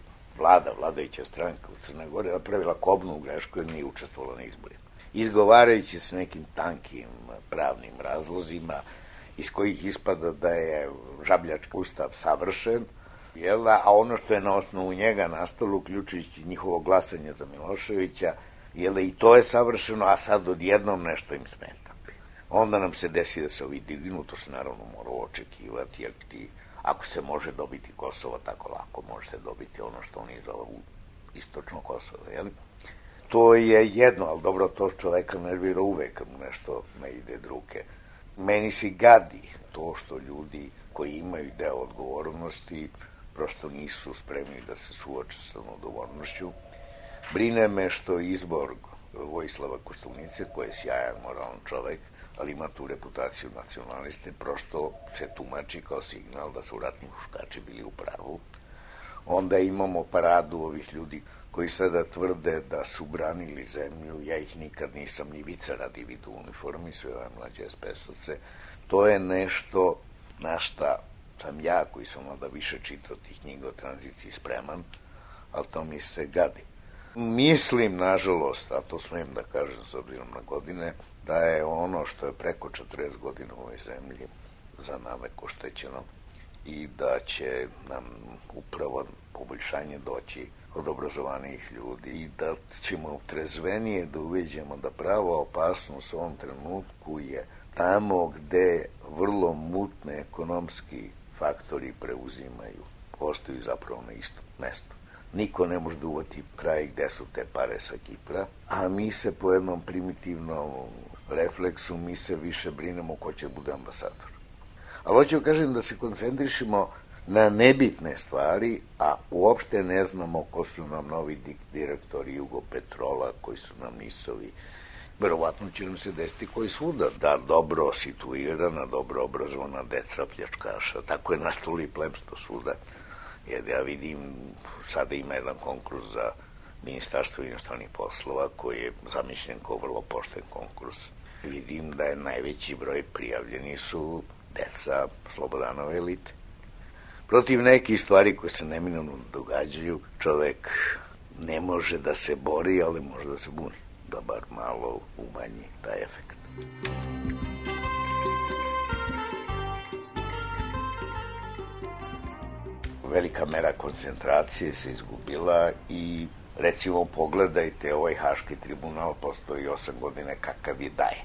vladajuća stranka u Crnoj Gori napravila kobnu grešku jer nije učestvovala na izborima. Izgovarajući se nekim tankim pravnim razlozima iz kojih ispada da je žabljački ustav savršen, a ono što je na osnovu njega nastalo, uključujući njihovo glasanje za Miloševića, i to je savršeno, a sad odjednom nešto im smeta. Onda nam se desi da se ovi dignu, to se naravno mora očekivati, jer ako se može dobiti Kosovo tako lako, može se dobiti ono što oni zovu istočno Kosovo, jel? To je jedno, ali dobro, to čoveka nervira uvek kad mu nešto ne ide druge. Meni se gadi to što ljudi koji imaju deo odgovornosti prosto nisu spremni da se suoče sa odgovornošću. Brine me što izbor Vojislava Koštunice, koji je sjajan moralan čovek, ali ima tu reputaciju nacionaliste, prosto se tumači kao signal da su ratni huškači bili u pravu. Onda imamo paradu ovih ljudi koji sada tvrde da su branili zemlju, ja ih nikad nisam ni vica radi vidu uniformi, sve ove mlađe SPS-ovce. To je nešto na šta sam ja, koji sam onda više čitao tih knjiga o tranziciji, spreman, ali to mi se gadi. Mislim, nažalost, a to smijem da kažem s obzirom na godine, da je ono što je preko 40 godina u ovoj zemlji za navek oštećeno i da će nam upravo poboljšanje doći od obrazovanih ljudi i da ćemo trezvenije da uveđemo da prava opasnost u ovom trenutku je tamo gde vrlo mutne ekonomski faktori preuzimaju, postaju zapravo na istom mestu. Niko ne može da uvati kraj gde su te pare sa Kipra, a mi se po jednom primitivnom refleksu, mi se više brinemo ko će bude ambasador. Ali hoću kažem da se koncentrišemo na nebitne stvari, a uopšte ne znamo ko su nam novi direktori Jugopetrola, koji su nam nisovi. Verovatno će nam se desiti koji svuda, da dobro situirana, dobro obrazovana deca pljačkaša. Tako je nastalo i plemstvo svuda. Jer ja vidim, sada ima jedan konkurs za Ministarstvo inostranih poslova koji je zamišljen kao vrlo pošten konkurs. Vidim da je najveći broj prijavljeni su deca Slobodanove elite. Protiv nekih stvari koje se neminovno događaju, čovek ne može da se bori, ali može da se buni, da bar malo umanji taj efekt. Velika mera koncentracije se izgubila i recimo pogledajte ovaj Haški tribunal, postoji 8 godina, kakav je daje.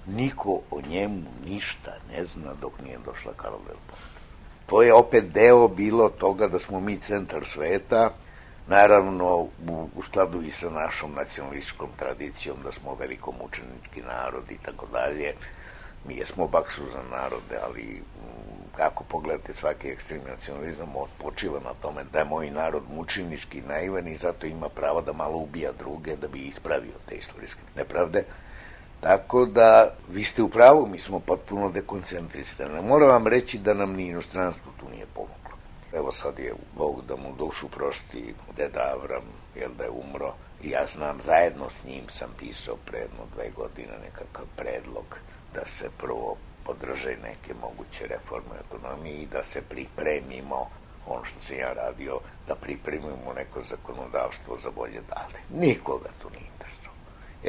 Niko o njemu ništa ne zna dok nije došla Karla del Ponte. To je opet deo bilo toga da smo mi centar sveta, naravno u skladu i sa našom nacionalističkom tradicijom da smo velikomučenički narod i tako dalje. Mi jesmo baksuzan narode, ali kako pogledate svaki ekstremni nacionalizam počiva na tome da je moj narod mučenički naivan i zato ima pravo da malo ubija druge da bi ispravio te istorijske nepravde. Tako da, vi ste u pravu, mi smo potpuno dekoncentrisani. Moram vam reći da nam ni inostranstvo tu nije pomoglo. Evo sad je Bog da mu dušu prosti deda Avram, jer da je umro. I ja znam, zajedno s njim sam pisao pre 1-2 godine nekakav predlog da se prvo podrže neke moguće reforme ekonomije i da se pripremimo, ono što sam ja radio, da pripremimo neko zakonodavstvo za bolje dane. Nikoga tu nije interesovalo.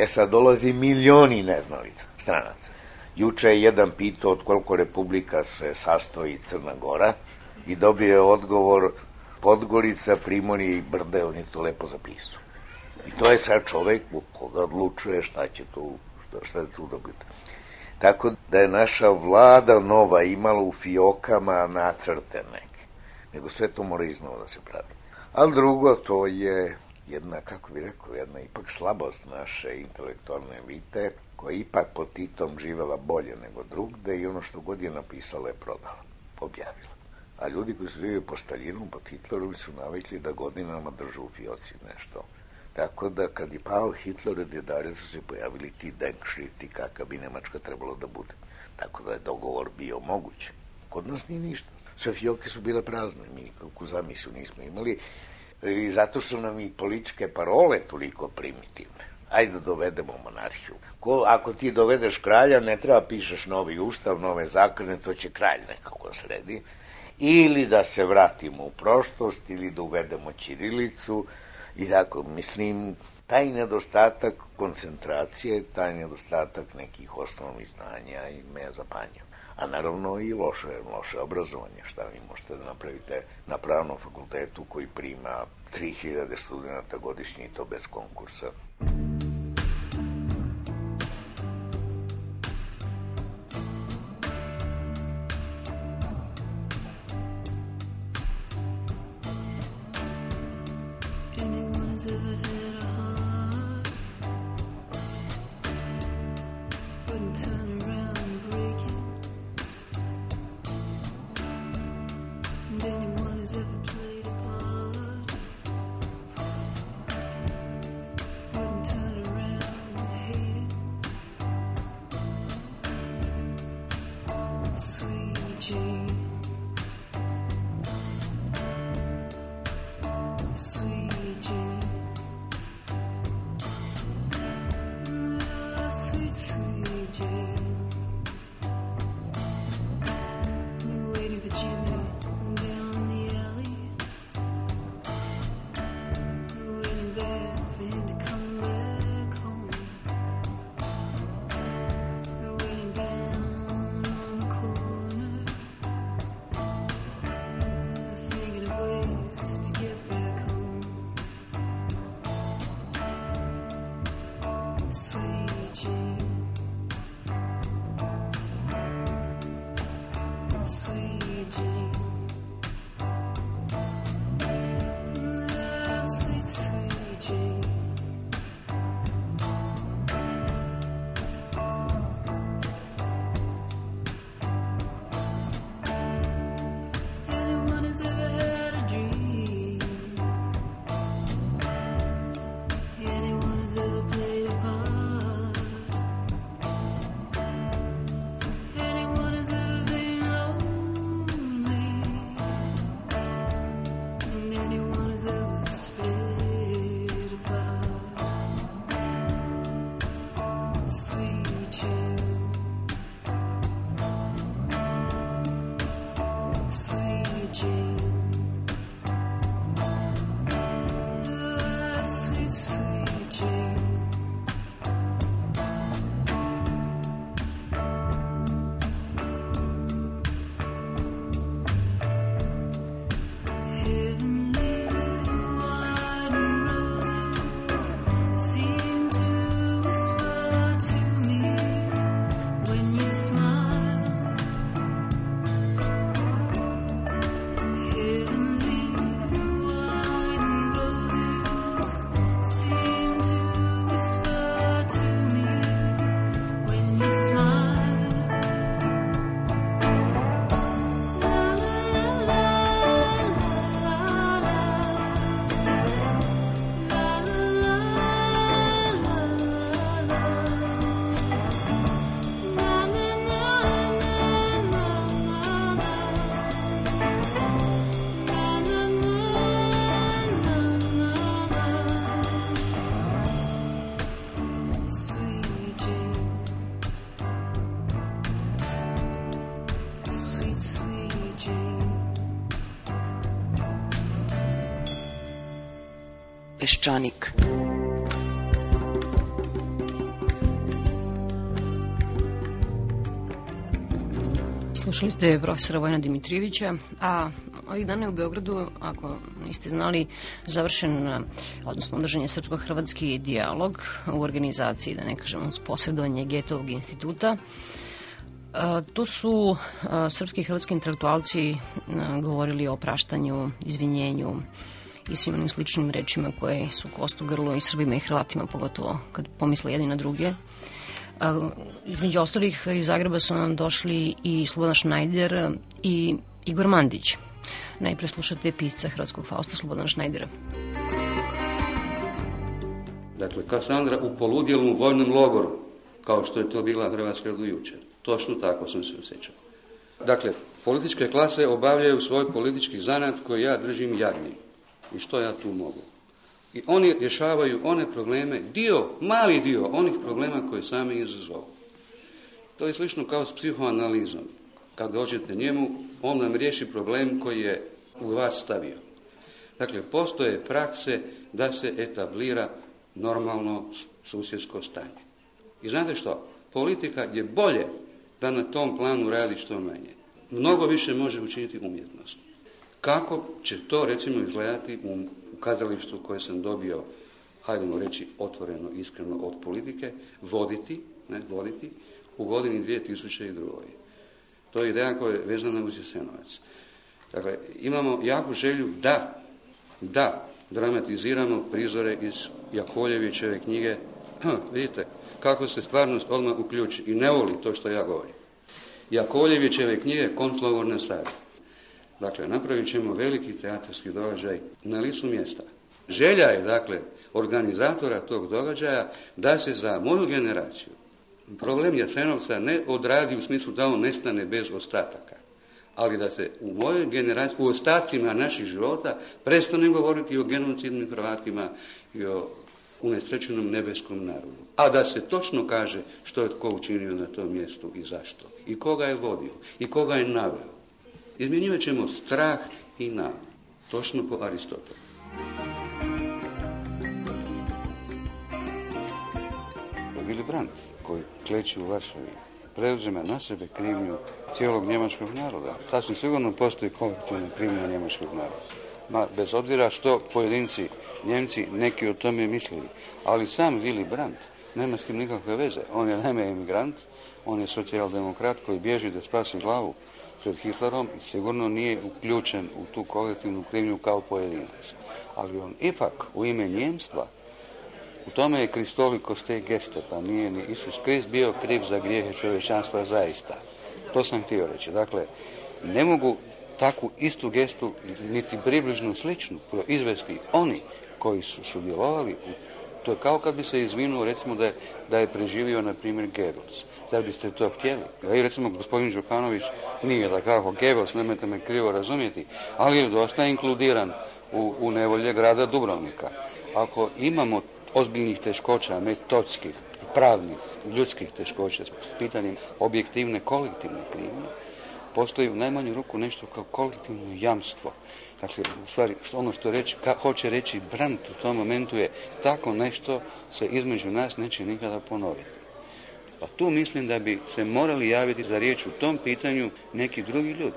Sad dolazi milioni neznalica, stranaca. Juče je jedan pitao od koliko republika se sastoji Crna Gora i dobio je odgovor Podgorica, Primorje i Brde, on je to lepo zapisao. I to je sad čovek koga odlučuje šta će tu dobiti. Tako da je naša vlada nova imala u fiokama nacrte neke. Nego sve to mora iznova da se pravi. Ali drugo, to je jedna, kako bih rekao, jedna ipak slabost naše intelektualne elite, koja je ipak pod Titom živela bolje nego drugde i ono što god je napisala je prodala, objavila. A ljudi koji su živjeli po Staljinu, po Hitlerovi su navikli da godinama držu u fioci nešto. Tako da kad je pao Hitler, djedare su se pojavili ti denkšrifti kakav bi Nemačka trebalo da bude. Tako da je dogovor bio moguć. Kod nas nije ništa. Sve fioke su bile prazne, mi nikakvu zamislu nismo imali i zato su nam i političke parole toliko primitivne. Ajde da dovedemo monarhiju. Ako ti dovedeš kralja, ne treba pišeš novi ustav, nove zakone, to će kralj nekako sredi. Ili da se vratimo u prošlost, ili da uvedemo ćirilicu. I tako, mislim, taj nedostatak koncentracije, taj nedostatak nekih osnovnih znanja i me zapanjio. A naravno i loše obrazovanje, šta vi možete da napravite na pravnom fakultetu koji prima 3000 studenta godišnje i to bez konkursa. Peščanik. Slušali ste profesora Vojina Dimitrijevića, a ovih dana je u Beogradu, ako niste znali, završen, odnosno održan je srpsko-hrvatski dijalog u organizaciji, da ne kažem, uz posredovanje Getovog instituta. Tu su srpski i hrvatski intelektualci govorili o praštanju, izvinjenju i svim onim sličnim rečima koje su kost u grlu i Srbima i Hrvatima, pogotovo kad pomisle jedni na druge. Između ostalih iz Zagreba su nam došli i Slobodan Šnajder i Igor Mandić. Najpre slušate pisca hrvatskog Fausta Slobodana Šnajdera. Dakle, Kasandra u poludjelom vojnom logoru, kao što je to bila Hrvatska do jučer. Točno tako sam se osjećao. Dakle, političke klase obavljaju svoj politički zanat koji ja držim jadnim. I što ja tu mogu? I oni rješavaju one probleme, mali dio onih problema koje sami izazovu. To je slično kao s psihoanalizom. Kad dođete njemu, on nam riješi problem koji je u vas stavio. Dakle, postoje prakse da se etablira normalno susjedsko stanje. I znate što? Politika je bolje da na tom planu radi što manje. Mnogo više može učiniti umjetnost. Kako će to, recimo, izgledati u kazalištu koje sam dobio, hajdemo reći otvoreno, iskreno od politike, voditi u godini 2002. To je ideja koja je vezana uz Jasenovac. Dakle, imamo jaku želju da dramatiziramo prizore iz Jakovljevićeve knjige. Vidite kako se stvarnost odmah uključi i ne voli to što ja govorim. Jakovljevićeve knjige Konclogor na Savi. Dakle, napravit ćemo veliki teatarski događaj na licu mjesta. Želja je, dakle, organizatora tog događaja da se za moju generaciju problem Jasenovca ne odradi u smislu da on nestane bez ostataka, ali da se u mojoj generaciji, u ostacima naših života, prestane govoriti o genocidnim Hrvatima i o unesrećenom nebeskom narodu. A da se točno kaže što je tko učinio na tom mjestu i zašto. I koga je vodio. I koga je naveo. Izmjenjivat ćemo strah i nadu. Točno po Aristotelu. Willy Brandt, koji kleči u Varšavi, preuzima na sebe krivnju cijelog njemačkog naroda. Sasvim sigurno postoji kolektivna krivnja njemačkog naroda. Bez obzira što pojedinci Njemci neki o tome mislili. Ali sam Willy Brandt nema s tim nikakve veze. On je naime emigrant, on je socijaldemokrat koji bježi da spasi glavu pred Hitlerom i sigurno nije uključen u tu kolektivnu krivnju kao pojedinac. Ali on ipak u ime njemstva, u tome je Kristolikos te geste, pa nije ni Isus Krist bio kriv za grijehe čovječanstva zaista. To sam htio reći. Dakle, ne mogu takvu istu gestu, niti približnu sličnu, proizvesti oni koji su sudjelovali u. To je kao kad bi se izvinuo, recimo, da je preživio, na primjer, Goebbels. Zar biste to htjeli? I recimo, gospodin Đukanović nije da kako Goebbels, nemojte me krivo razumjeti, ali je dosta inkludiran u nevolje grada Dubrovnika. Ako imamo ozbiljnih teškoća, metodskih, pravnih, ljudskih teškoća s pitanjem objektivne, kolektivne krivnje, postoji u najmanju ruku nešto kao kolektivno jamstvo. Dakle, u stvari, ono što hoće reći Brandt u tom momentu je tako nešto se između nas neće nikada ponoviti. Pa tu mislim da bi se morali javiti za riječ u tom pitanju neki drugi ljudi.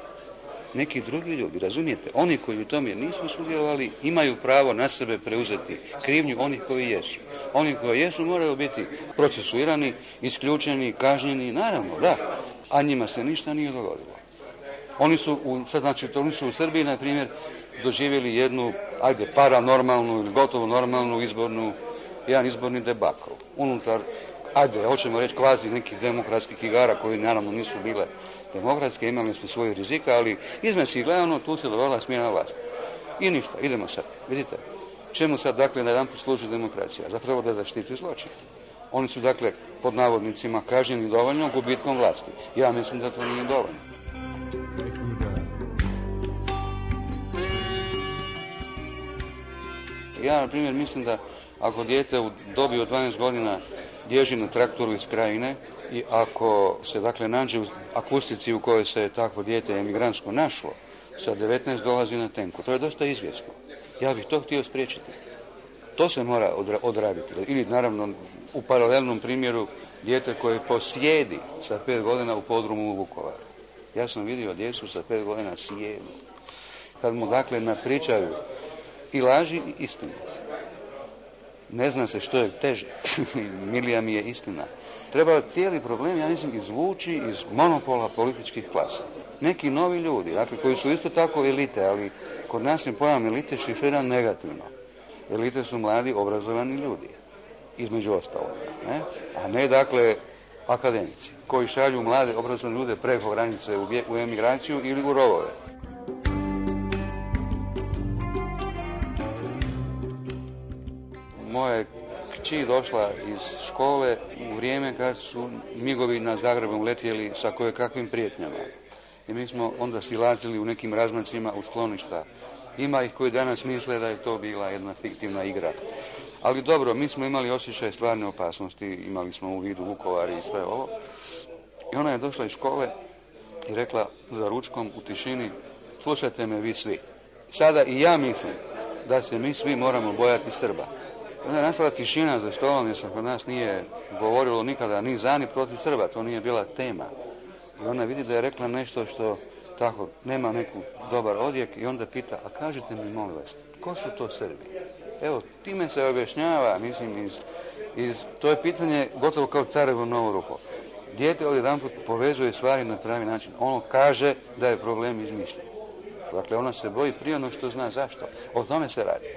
Neki drugi ljudi, razumijete? Oni koji u tome nisu sudjelovali imaju pravo na sebe preuzeti krivnju onih koji jesu. Oni koji jesu moraju biti procesuirani, isključeni, kažnjeni, naravno, da. A njima se ništa nije dogodilo. Oni su u Srbiji, na primjer, doživjeli jednu, paranormalnu ili gotovo normalnu jedan izborni debakl. Unutar, hoćemo reći, kvazi nekih demokratskih igara koji naravno nisu bile demokratske, imali su svoje rizika, ali izmesi gledano tu se dogodila smjena vlasti. I ništa, idemo sad. Vidite, čemu sad, dakle, na jedan služi demokracija? Zapravo da zaštiti zločin. Oni su, dakle, pod navodnicima kažnjeni dovoljno gubitkom vlasti. Ja mislim da to nije dovoljno. Ja, na primjer, mislim da ako dijete u dobi od 12 godina bježi na traktoru iz Krajine i ako se, dakle, nađe u akustici u kojoj se takvo dijete emigrantsko našlo, sa 19 dolazi na tenku. To je dosta izvjesno. Ja bih to htio spriječiti. To se mora odraditi. Ili naravno u paralelnom primjeru dijete koje posjedi sa 5 godina u podrumu u Vukovaru. Ja sam vidio djecu sa 5 godina sjedu. Kad mu dakle napričaju i laži i istinu. Ne zna se što je teže. Milija mi je istina. Treba cijeli problem, ja mislim, izvući iz monopola političkih klasa. Neki novi ljudi, dakle, koji su isto tako elite, ali kod nas je pojam elite šifriran negativno. Elite su mladi, obrazovani ljudi, između ostaloga. Ne? A ne, dakle, akademici, koji šalju mlade, obrazovane ljude preko granice u emigraciju ili u rovove. Moja kći došla iz škole u vrijeme kad su migovi nad Zagrebom letjeli sa kojekakvim prijetnjama. I mi smo onda silazili u nekim razmacima u skloništa. Ima ih koji danas misle da je to bila jedna fiktivna igra. Ali dobro, mi smo imali osjećaj stvarne opasnosti, imali smo u vidu Vukovar i sve ovo. I ona je došla iz škole i rekla za ručkom u tišini, slušajte me vi svi. Sada i ja mislim da se mi svi moramo bojati Srba. Onda je nastala tišina za stolom jer se kod nas nije govorilo nikada ni za ni protiv Srba, to nije bila tema. I ona vidi da je rekla nešto što tako nema neku dobar odjek i onda pita, a kažite mi molim vas, ko su to Srbi? Evo, time se objašnjava, mislim, to je pitanje gotovo kao carevo novo ruho. Dijete odjedanput povezuje stvari na pravi način. Ono kaže da je problem izmišljen. Dakle, ona se boji prije ono što zna zašto. O tome se radi.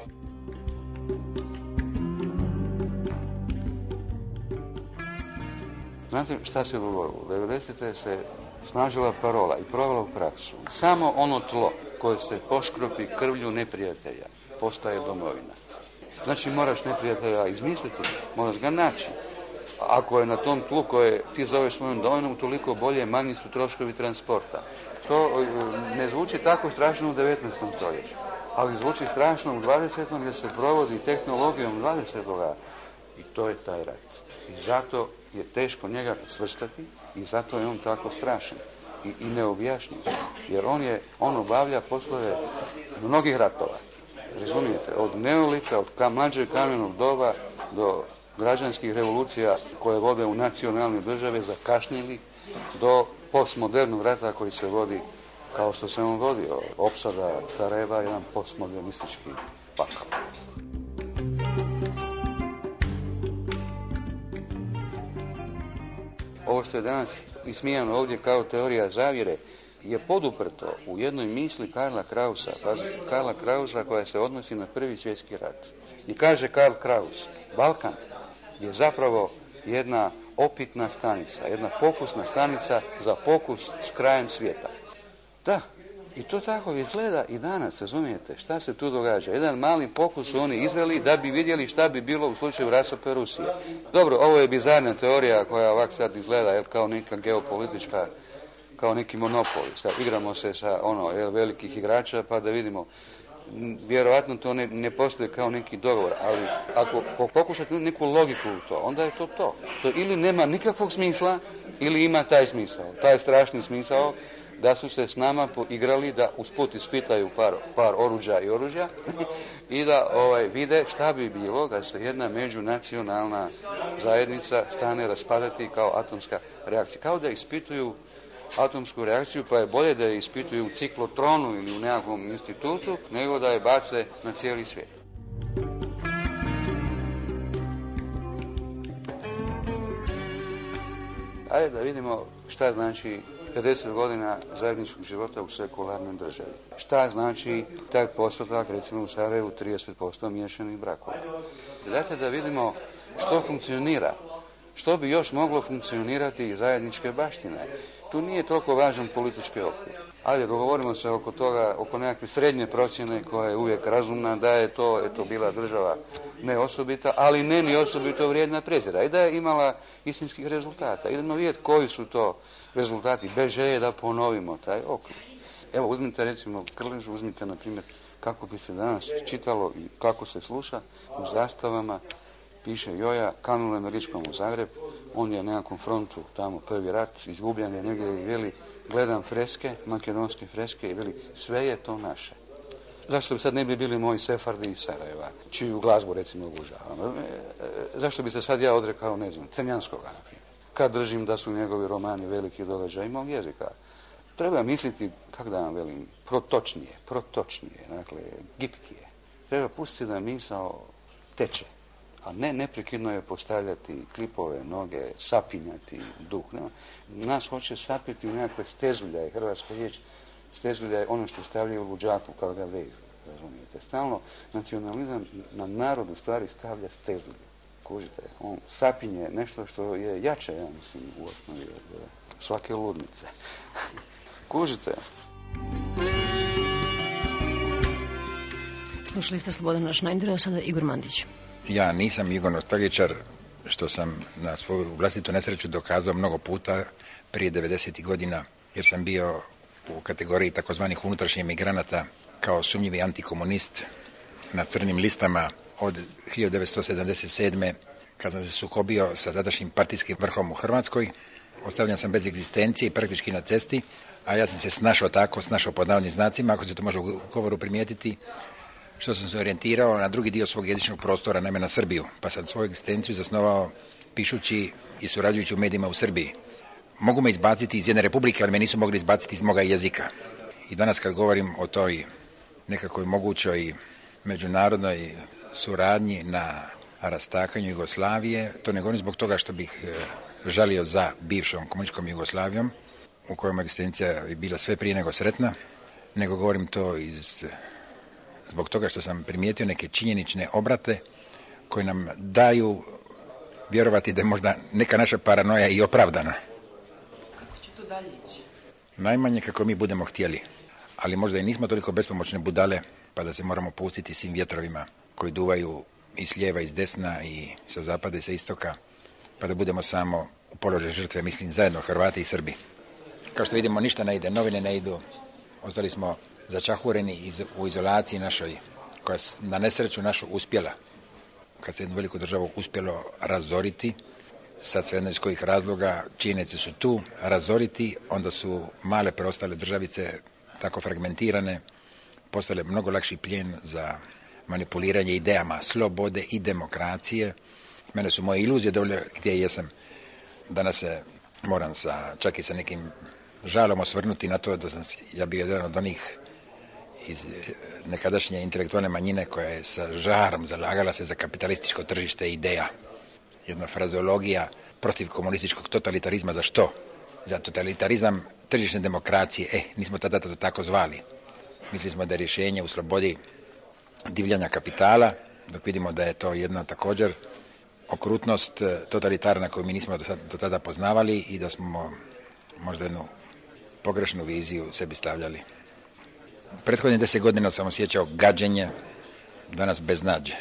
Znate šta se dogodilo? U 90. se snažila parola i provela u praksu. Samo ono tlo koje se poškropi krvlju neprijatelja postaje domovina. Znači moraš neprijatelja izmisliti, moraš ga naći. Ako je na tom tlu koje ti zoveš svojom domovinom, toliko bolje, manji su troškovi transporta. To ne zvuči tako strašno u 19. stoljeću, ali zvuči strašno u 20. jer se provodi tehnologijom 20. I to je taj rat. I zato je teško njega svrstati i zato je on tako strašan i neobjašnjiv. Jer on obavlja poslove mnogih ratova. Razumijete? Od neolita, od mlađeg kamenog doba do građanskih revolucija koje vode u nacionalne države zakašnjeli do postmodernog rata koji se vodi kao što se on vodio. Opsada Sarajeva je jedan postmodernistički pakao. Ovo što je danas ismijano ovdje kao teorija zavjere je poduprto u jednoj misli Karla Krausa, Karla Krausa koja se odnosi na Prvi svjetski rat. I kaže Karl Kraus, Balkan je zapravo jedna opitna stanica, jedna pokusna stanica za pokus s krajem svijeta. Da, i to tako izgleda i danas, razumijete, šta se tu događa. Jedan mali pokus su oni izveli da bi vidjeli šta bi bilo u slučaju rasope Rusije. Dobro, ovo je bizarna teorija koja ovak sad izgleda kao neka geopolitička, kao neki monopol. Sad igramo se sa velikih igrača pa da vidimo. Vjerojatno to ne postoji kao neki dogovor, ali ako pokušate neku logiku u to, onda je to to. To ili nema nikakvog smisla, ili ima taj smisao, taj strašni smisao da su se s nama poigrali da usput ispitaju par oruđa i oružja i da vide šta bi bilo da se jedna međunacionalna zajednica stane raspadati kao atomska reakcija. Kao da ispituju atomsku reakciju, pa je bolje da je ispituju u ciklotronu ili u nekakvom institutu, nego da je bace na cijeli svijet. Ajde da vidimo šta znači 50 godina zajedničkog života u sekularnoj državi. Šta znači taj postotak, recimo u Sarajevu 30% miješanih brakova. Dajte da vidimo što funkcionira, što bi još moglo funkcionirati iz zajedničke baštine. Tu nije toliko važan politički okvir. Ajde, dogovorimo se oko toga, oko nekakve srednje procjene koja je uvijek razumna, da je to bila država ne osobita, ali ne ni osobito vrijedna prezira i da je imala istinskih rezultata. Idemo vidjeti koji su to rezultati, bez želje da ponovimo taj okvir. Evo, uzmite recimo Krležu, uzmite na primjer kako bi se danas čitalo i kako se sluša u zastavama. Piše Joja, kanule američkom u Zagreb, on je na nekakvom frontu, tamo prvi rat, izgubljen je negdje i veli, gledam freske, makedonske freske i veli, sve je to naše. Zašto bi sad ne bi bili moji Sefardi iz Sarajeva, čiju glazbu recimo obožavam? Zašto bi se sad ja odrekao, ne znam, Crnjanskoga, na primjer? Kad držim da su njegovi romani veliki događaj mog jezika. Treba misliti, kako da vam velim, protočnije, dakle, gitkije. Treba pustiti da misao teče, a ne neprekidno je postavljati klipove, noge, sapinjati duh. Nema. Nas hoće sapiti u nekakve stezuljaje, hrvatska riječ, stezulja je ono što stavljaju u luđaku kao da vezu, razumijete. Stalno nacionalizam na narod u stvari stavlja stezulju. Kužite, on sapinje nešto što je jače, ja mislim, u osnovi od svake ludnice. Kužite. Slušali ste Slobodana Šnajdera, sada Igor Mandić. Ja nisam Igor nostalgičar, što sam na svoju vlastitu nesreću dokazao mnogo puta prije 90. godina, jer sam bio u kategoriji takozvanih unutrašnjih migranata kao sumnjivi antikomunist na crnim listama od 1977. kad sam se sukobio sa tadašnjim partijskim vrhom u Hrvatskoj. Ostavljan sam bez egzistencije i praktički na cesti, a ja sam se snašao pod navodnim znacima, ako se to može u govoru primijetiti, što sam se orijentirao na drugi dio svog jezičnog prostora, naime na Srbiju, pa sam svoju egzistenciju zasnovao pišući i surađujući u medijima u Srbiji. Mogu me izbaciti iz jedne republike, ali me nisu mogli izbaciti iz moga jezika. I danas kad govorim o toj nekakvoj mogućoj međunarodnoj suradnji na rastakanju Jugoslavije, to ne govorim zbog toga što bih žalio za bivšom komunističkom Jugoslavijom, u kojoj egzistencija je bila sve prije nego sretna, nego govorim to zbog toga što sam primijetio neke činjenične obrate koje nam daju vjerovati da je možda neka naša paranoja i opravdana. Kako će to dalje ići? Najmanje kako mi budemo htjeli, ali možda i nismo toliko bespomoćne budale pa da se moramo pustiti svim vjetrovima koji duvaju i s lijeva i s desna i sa zapada i sa istoka, pa da budemo samo u položaju žrtve, mislim zajedno Hrvati i Srbi. Kao što vidimo, ništa ne ide, novine ne idu, ostali smo začahureni u izolaciji našoj, koja na nesreću našu uspjela, kad se jednu veliku državu uspjelo razoriti, sad svejedno iz kojih razloga, činjenice su tu, razoriti, onda su male preostale državice tako fragmentirane, postale mnogo lakši plijen za manipuliranje idejama slobode i demokracije. Mene su moje iluzije dovoljno gdje jesam. Danas se moram čak i sa nekim žalom osvrnuti na to da sam ja bio jedan od onih iz nekadašnje intelektualne manjine koja je sa žarom zalagala se za kapitalističko tržište ideja. Jedna frazeologija protiv komunističkog totalitarizma. Za što? Za totalitarizam tržišne demokracije. Nismo tada to tako zvali. Mislili smo da je rješenje u slobodi divljanja kapitala, dok vidimo da je to jedna također okrutnost totalitarna koju mi nismo do tada poznavali i da smo možda jednu pogrešnu viziju sebi stavljali. Prethodnih 10 godina sam osjećao gađenje, danas beznađe.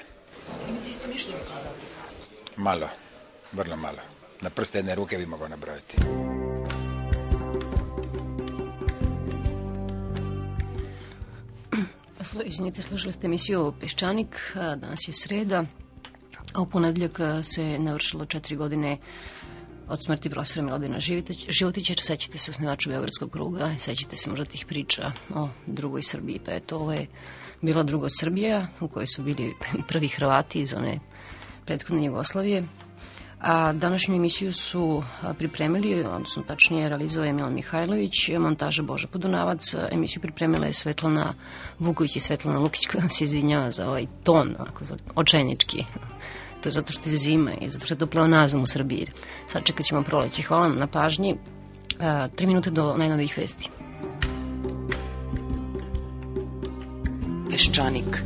Imate isto mišljenje kao zapravo? Malo, vrlo malo. Na prste jedne ruke bi mogao nabrojati. Izvinite, slušali ste emisiju Peščanik, danas je sreda, a u ponedjeljak se navršilo 4 godine od smrti profesora Miladina Životića. Sećate se osnivača Beogradskog kruga, sećate se možda tih priča o drugoj Srbiji, pa eto, ovo je bila druga Srbija u kojoj su bili prvi Hrvati iz one prethodne Jugoslavije. A današnju emisiju su pripremili, odnosno tačnije realizovao je Milan Mihajlović, montaža Boža Podunavac, emisiju pripremila je Svetlana Vuković i Svetlana Lukić, koja se izvinjava za ovaj ton, očajnički. To je zato što je zima i zato što je to pleonazam u Srbiji. Sad čekat ćemo proleće. Hvala vam na pažnji. 3 minute do najnovijih vesti. Peščanik.